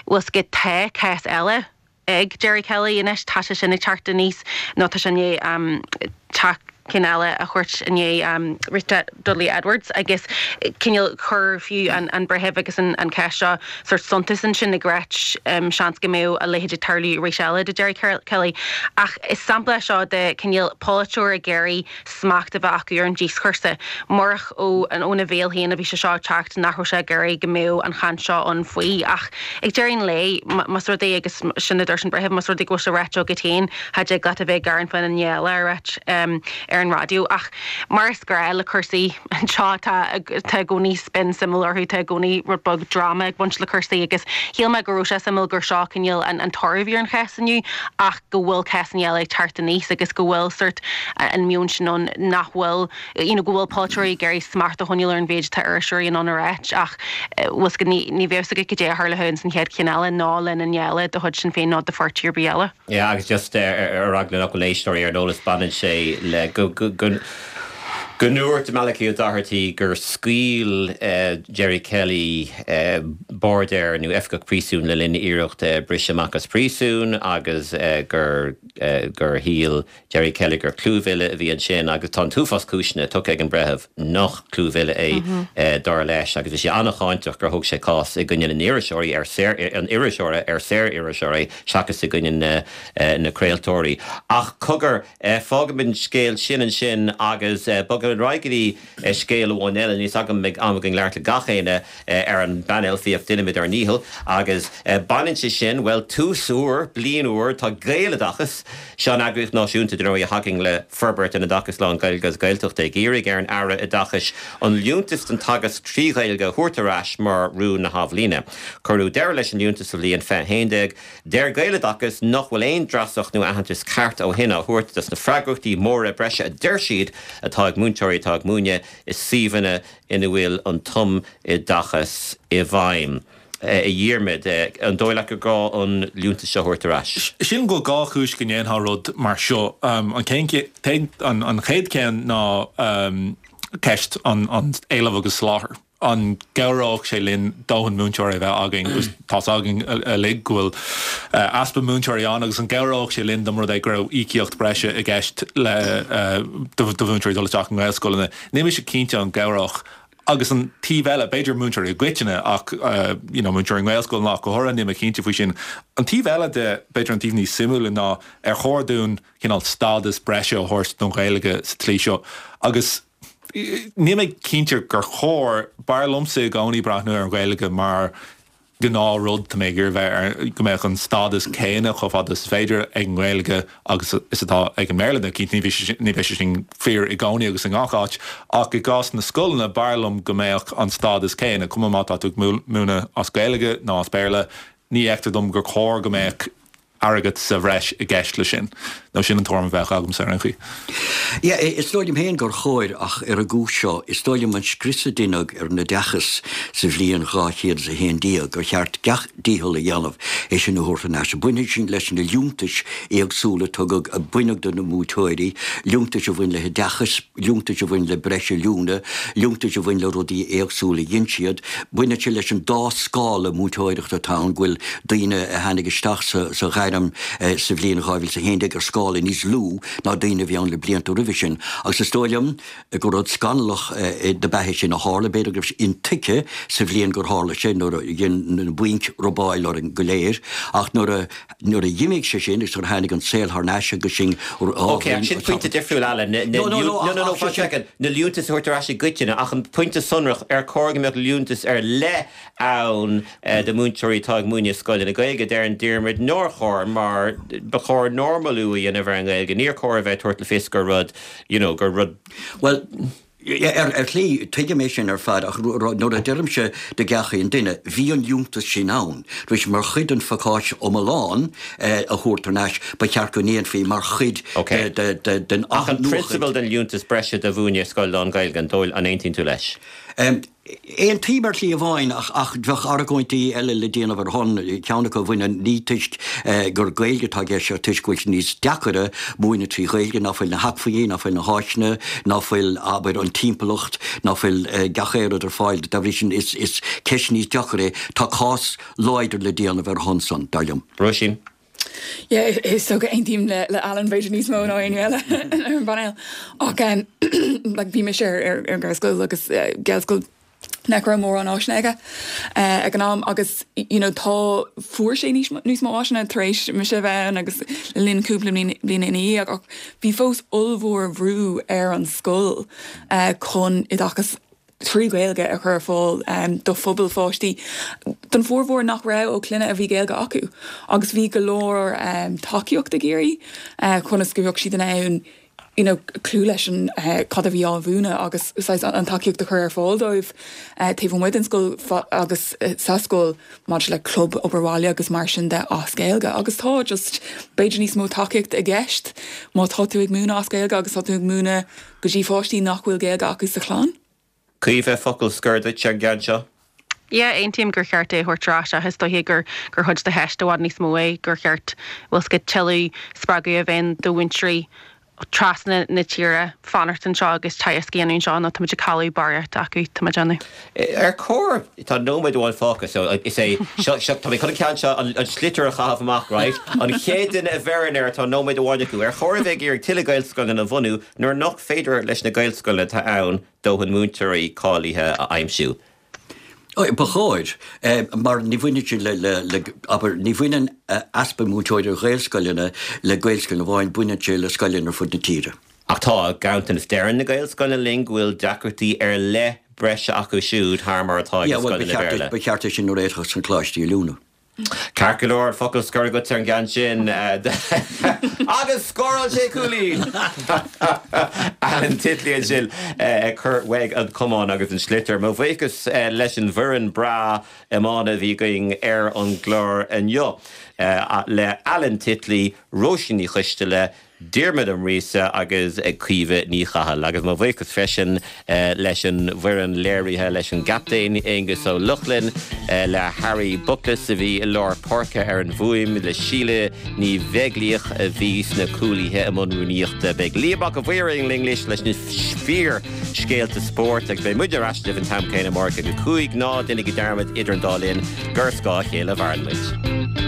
bhfuil 's agat tá cás eile ag Gerry Kelly anois tá sé sin ag teacht aníos nó tá sé i ndiaidh teacht ceann eile a thabhairt i ndiaidh Rita Dudley Edwards agus cineál chuir fiú an breitheamh agus an cás seo sórt suntas ansin ag ráit seans go mbeadh a leithéid ag tarlú arís eile do Gerry Kelly. Ach is sampla é seo de cineál polaiteoir ag iarraidh smacht a bheith acu ar an díoscúrsa. Murach óna bhéal féin a bhí sé seo ag teacht, nach raibh sé ag iarraidh go mbeadh an chaint seo ann faoi. Ach ag deireadh an lae, más rud é, agus sin a dúirt an breitheamh, más rud é go bhfuil sé ráite agat féin, cha dtig leat a bheith ag gearán faoin duine eile a ráit ar an raidió. Ach mar is gnáth le cúrsaí anseo, tá tá i gcónaí spin suimiúil orthu, tá i gcónaí rud beag dráma ag baint le cúrsaí agus shíl mé go raibh sé suimiúil gur seo cineál an toradh a bhí ar an chás inniu ach go bhfuil cásanna eile ag teacht aníos agus go bhfuil sórt an meon sin ann nach bhfuil, you know, go bhfuil polaiteoirí ag iarraidh smacht a choinneáil ar an mhéid atá iriseoirí in ann a ráit ach bhfuil 's agat ní ní bheadh 's agat cad é a tharlóidh ins an chéad cheann eile ná le duine eile de chuid Sinn Féin nó de pháirtí ar bith eile. Yeah agus just ar eagla nach bhfuil éisteoirí ar an eolas baineann sé le go go go go ndúirt Malachy Ó Dochartaigh gur scaoil Gerry Kelly bairdéir nó oifigeach príosúin le linn iarracht briseadh amach as príosún agus gur gur shíl Gerry Kelly gur clúmhilleadh a bhí ansin agus tá an t-uafás cúiseanna tugtha ag an bhreitheamh nach clúmhilleadh é dar leis agus bhí sé an-cháinteach gur thóg sé cás i gcoinne na n-iriseoirí ar saor an iriseora ar saor-iriseoir é seachas i gcoinne na na craoltóirí. Ach cogar, fágfaimid an scéal sin ansin agus bogfaimid ar aghaidh go dtí scéal amháin eile. Níl 's agam an mbeidh am againn labhairt le gach éinne ar an bpainéal fiach déanfaimid ár ndícheall. Agus baineann sé sin, bhuel, tús úr, bliain úr, tá Gaeloideachas, seo an eagraíocht náisiúnta dar ndóigh a thacaíonn le forbairt an oideachais lán-Ghaeilge agus Gaeltachta, ag iarraidh ar an Aire Oideachais an liúntas don teagasc trí Ghaeilge a thabhairt ar ais mar rún na hathbhliana. Cuireadh deireadh leis an liúntas sa bhliain 2011. Deir Gaeloideachas nach bhfuil aon dreasacht nó aitheantas ceart ó shin á thabhairt dos na freagrachtaí móra breise a deir siad atá ag múinteoirí atá ag múineadh i suíomhanna ina bhfuil an tumoideachas i bhfeidhm. A Dhiarmaid, an dóigh leat gur gá an liúntas seo a thabhairt ar ais? Sílim go bhfuil dhá chúis go ndéanfá rud mar seo. An chéad cheann ná ceist an éilimh agus soláthair. An gcabhródh sé linn dóthain múinteoirí a bheith againn agus tá's againn uilig go bhfuil easpa múinteoirí ann agus an gcabhródh sé linn dá mba rud é go raibh íocaíocht breise i gceist le do mhúinteoirí dul isteach i nGaelscoileanna? Níl mise cinnte an gcabhródh. Agus an taobh eile, b'fhéidir múinteoirí i gcoitinne ach you know múinteoirí i nGaelscoileanna ach go háirithe, níl mé cinnte faoi sin. An taobh eile de, b'fhéidir an taobh níos suimiúla ná ar chóir dúinn cineál stádas breise a thabhairt don Ghaeilge sa tslí seo agus Níl mé cinnte gur chóir. B'fhearr liomsa i gcónaí breathnú ar an Ghaeilge mar ghnáthrud. Tá mé ag iarraidh bheith ar, go mbeadh an stádas céanna chomh fada is is féidir ag an nGaeilge agus is atá ag an mBéarla. Now cinnte ní bheidh sé sin fíor i gcónaí agus i ngach áit ach i gcás na scoileanna b'fhearr liom go mbeadh an stádas céanna, cuma má tá tú ag múineadh as Gaeilge nó as Béarla, ní fheictear dom gur chóir go mbeadh airgead sa bhreis i gceist leis sin. Nó sin an tuairim a bheadh agamsa ar aon chaoi. Yeah, is dóigh liom féin gur chóir, ach ar an gcúis seo, is dóigh liom an scrios a deineadh ar an oideachas sa bhliain 211, gur cheart gach dícheall a dhéanamh é sin a thabhairt thar n-ais. Baineann sin leis na liúntais éagsúla a tugadh, a baineadh de na múinteoirí, liúntais a bhain le hoideachas, liúntais a bhain le breis oiliúna, liúntais a bhain le rudaí éagsúla a dhein siad. Baineann sé leis an dá scála múinteoireachta atá ann, go bhfuil daoine a tháinig isteach sa ghairm sa bhliain 2011 ar scála níos lú ná daoine a bhí ann le blianta roimhe sin. Agus is dóigh liom gur rud scannalach dob ea é sin a tharla. B'fhéidir go raibh sé intuigthe sa bhliain gur tharla sé, nuair a dhein na bainc robáil orainn go léir, ach nuair a. Nuair a d'imigh sé sin agus nuair a tháinig an saol thar n-ais agus sinn Ok, ach sin pointe difriúil, Alan. Na, No, no, no, no, no, no, one second. Na liúntais a thabhairt ar ais i gcoitinne, ach an pointe sonrach, ar chóir go mbeadh liúntas ar leith ann do mhúinteoirí atá ag múineadh i scoileanna Gaeilge? Deireann Diarmuid nár chóir, mar ba chóir normalú a dhéanamh ar an nGaeilge. Níor chóir a bheith ag tabhairt le fios gur rud, you know, gur rud. Bhuel, Ar shlí, tuigim é sin ar fad, ach nuair a deirimse do gach aon duine, bhí an liúntas sin ann, bhí sé mar chuid den phacáiste iomlán a thabhairt thar n-ais, ba cheart go ndéanfaí mar chuid den Ach an prionsabal den liúntas breise do mhúineadh i scoil lán-Ghaeilge, an dóigh, an aontaíonn tú leis? Aontaím ar shlí amháin ach ach bheadh argóintí eile le déanamh ar a shon, ceann acu a bhaineann ní toisc gur Gaeilge atá i gceist ach toisc go bhfuil sé níos deacaire múineadh trí Ghaeilge, ná fuil na hacmhainní, ná fuil na háiseanna, ná fuil, abair, an timpeallacht, ná fuil gach aon rud ar fáil. Dá bhrí sin is is ceist níos deacaire é. Tá cás láidir le déanamh ar a shon san, dar liom. Róisín. Yeah, is dócha aontaím le le Alan b'fhéidir níos mó ná éinne eile ar an bpainéal. Ach um, like, bhí mise ar ar ar Ghaelscoil agus uh, Gaelscoil nach raibh mórán áiseanna aige uh, ag an am agus you know, tá fuair sé níos níos mó áiseanna tar éis mise a bheith ann agus le linn cúpla bliain bliana ina dhiaidh ach bhí fós ollmhór bhrú ar an scoil uh, chun oideachas 3 Ghaeilge a chur ar fáil do phobal pháistí, don bhformhór nach raibh ó clainne a bhí Gaeilge acu agus bhí go leor tacaíocht ag iarraidh conas go mbeadh siad in ann you know cloí leis an cad a bhí á mhúineadh agus saghas an tacaíocht a chur ar fáil dóibh taobh amuigh den scoil agus sa scoil maidir le club obair bhaile agus mar sin de as Gaeilge agus tá just b'fhéidir níos mó tacaíocht i gceist má tá tú ag múineadh as Gaeilge agus tá tú ag múineadh go dtí pháistí nach bhfuil Gaeilge acu sa chlann. Caoimhe, focal scoir duit ar an gceann seo. Yeah, aontaím gur cheart é a thabhairt ar ais ach is dóiche gur gur chuid de cheist i bhfad níos mó é gur cheart, bhfuil 's agat, tuilleadh spreagadh a bheith ann do mhúinteoirí trasna na tíre fanacht anseo agus teagasc a dhéanamh anseo nó táimid ag cailleadh barraíocht acu, tá mé ag déanamh. Ar chóir, tá nóiméad amháin fágtha so is é seo, seo, tá mé chun an ceann seo, an sliotar a chaitheamh amach, right? An chéad duine a bheireann air, tá nóiméad amháin acu. Ar chóir a bheith ag iarraidh tuilleadh Gaelscoileanna a bhunú nuair nach féidir leis na Gaelscoileanna atá ann dóthain múinteoirí cáilithe a aimsiú? Ba chóir, mar ní bhaineann sé le, le, le, abair, ní bhaineann easpa múinteoirí ar Ghaelscoileanna le Gaelscoileanna amháin, baineann sé le scoileanna ar fud na tíre. Ach tá ganntanas. Deireann na Gaelscoileanna linn go bhfuil deacrachtaí ar leith breise acu siúd thar mar atá ag na scoileanna Béarla. Ba cheart é sin a réiteach sna coláistí oiliúna. Ceart go leor, focal scoir agat ar an gceann sin. Agus scóráil sé cúilín! Alan Titley ansin ag cur uaidh an camán agus an sliotar. Mo bhuíochas leis an bhfoireann breá iomána a bhí againn ar an gclár inniu, le Alan Titley, Róisín Ní Choisteala, Diarmuid Ó Muiríosa agus Caoimhe Ní Chathail. Agus mo bhuíochas freisin leis an bhfoireann léirithe, leis an gcaptaen Aonghus Ó Lochlainn, le Harry Buckless a bhí i lár páirce ar an bhfuaim, le Síle Ní Bheaglaoich a bhí sna cúlaithe i mbun rúnaíochta. Beidh Liam Mac a' Mhaoir linn anois leis na fíor-scéalta spóirt agus beidh muid ar ais libh an t-am céanna amárach ag a 5. Ná déanaigí dearmad idir an dá linn gur ar scáth a chéile a mhaireann muid.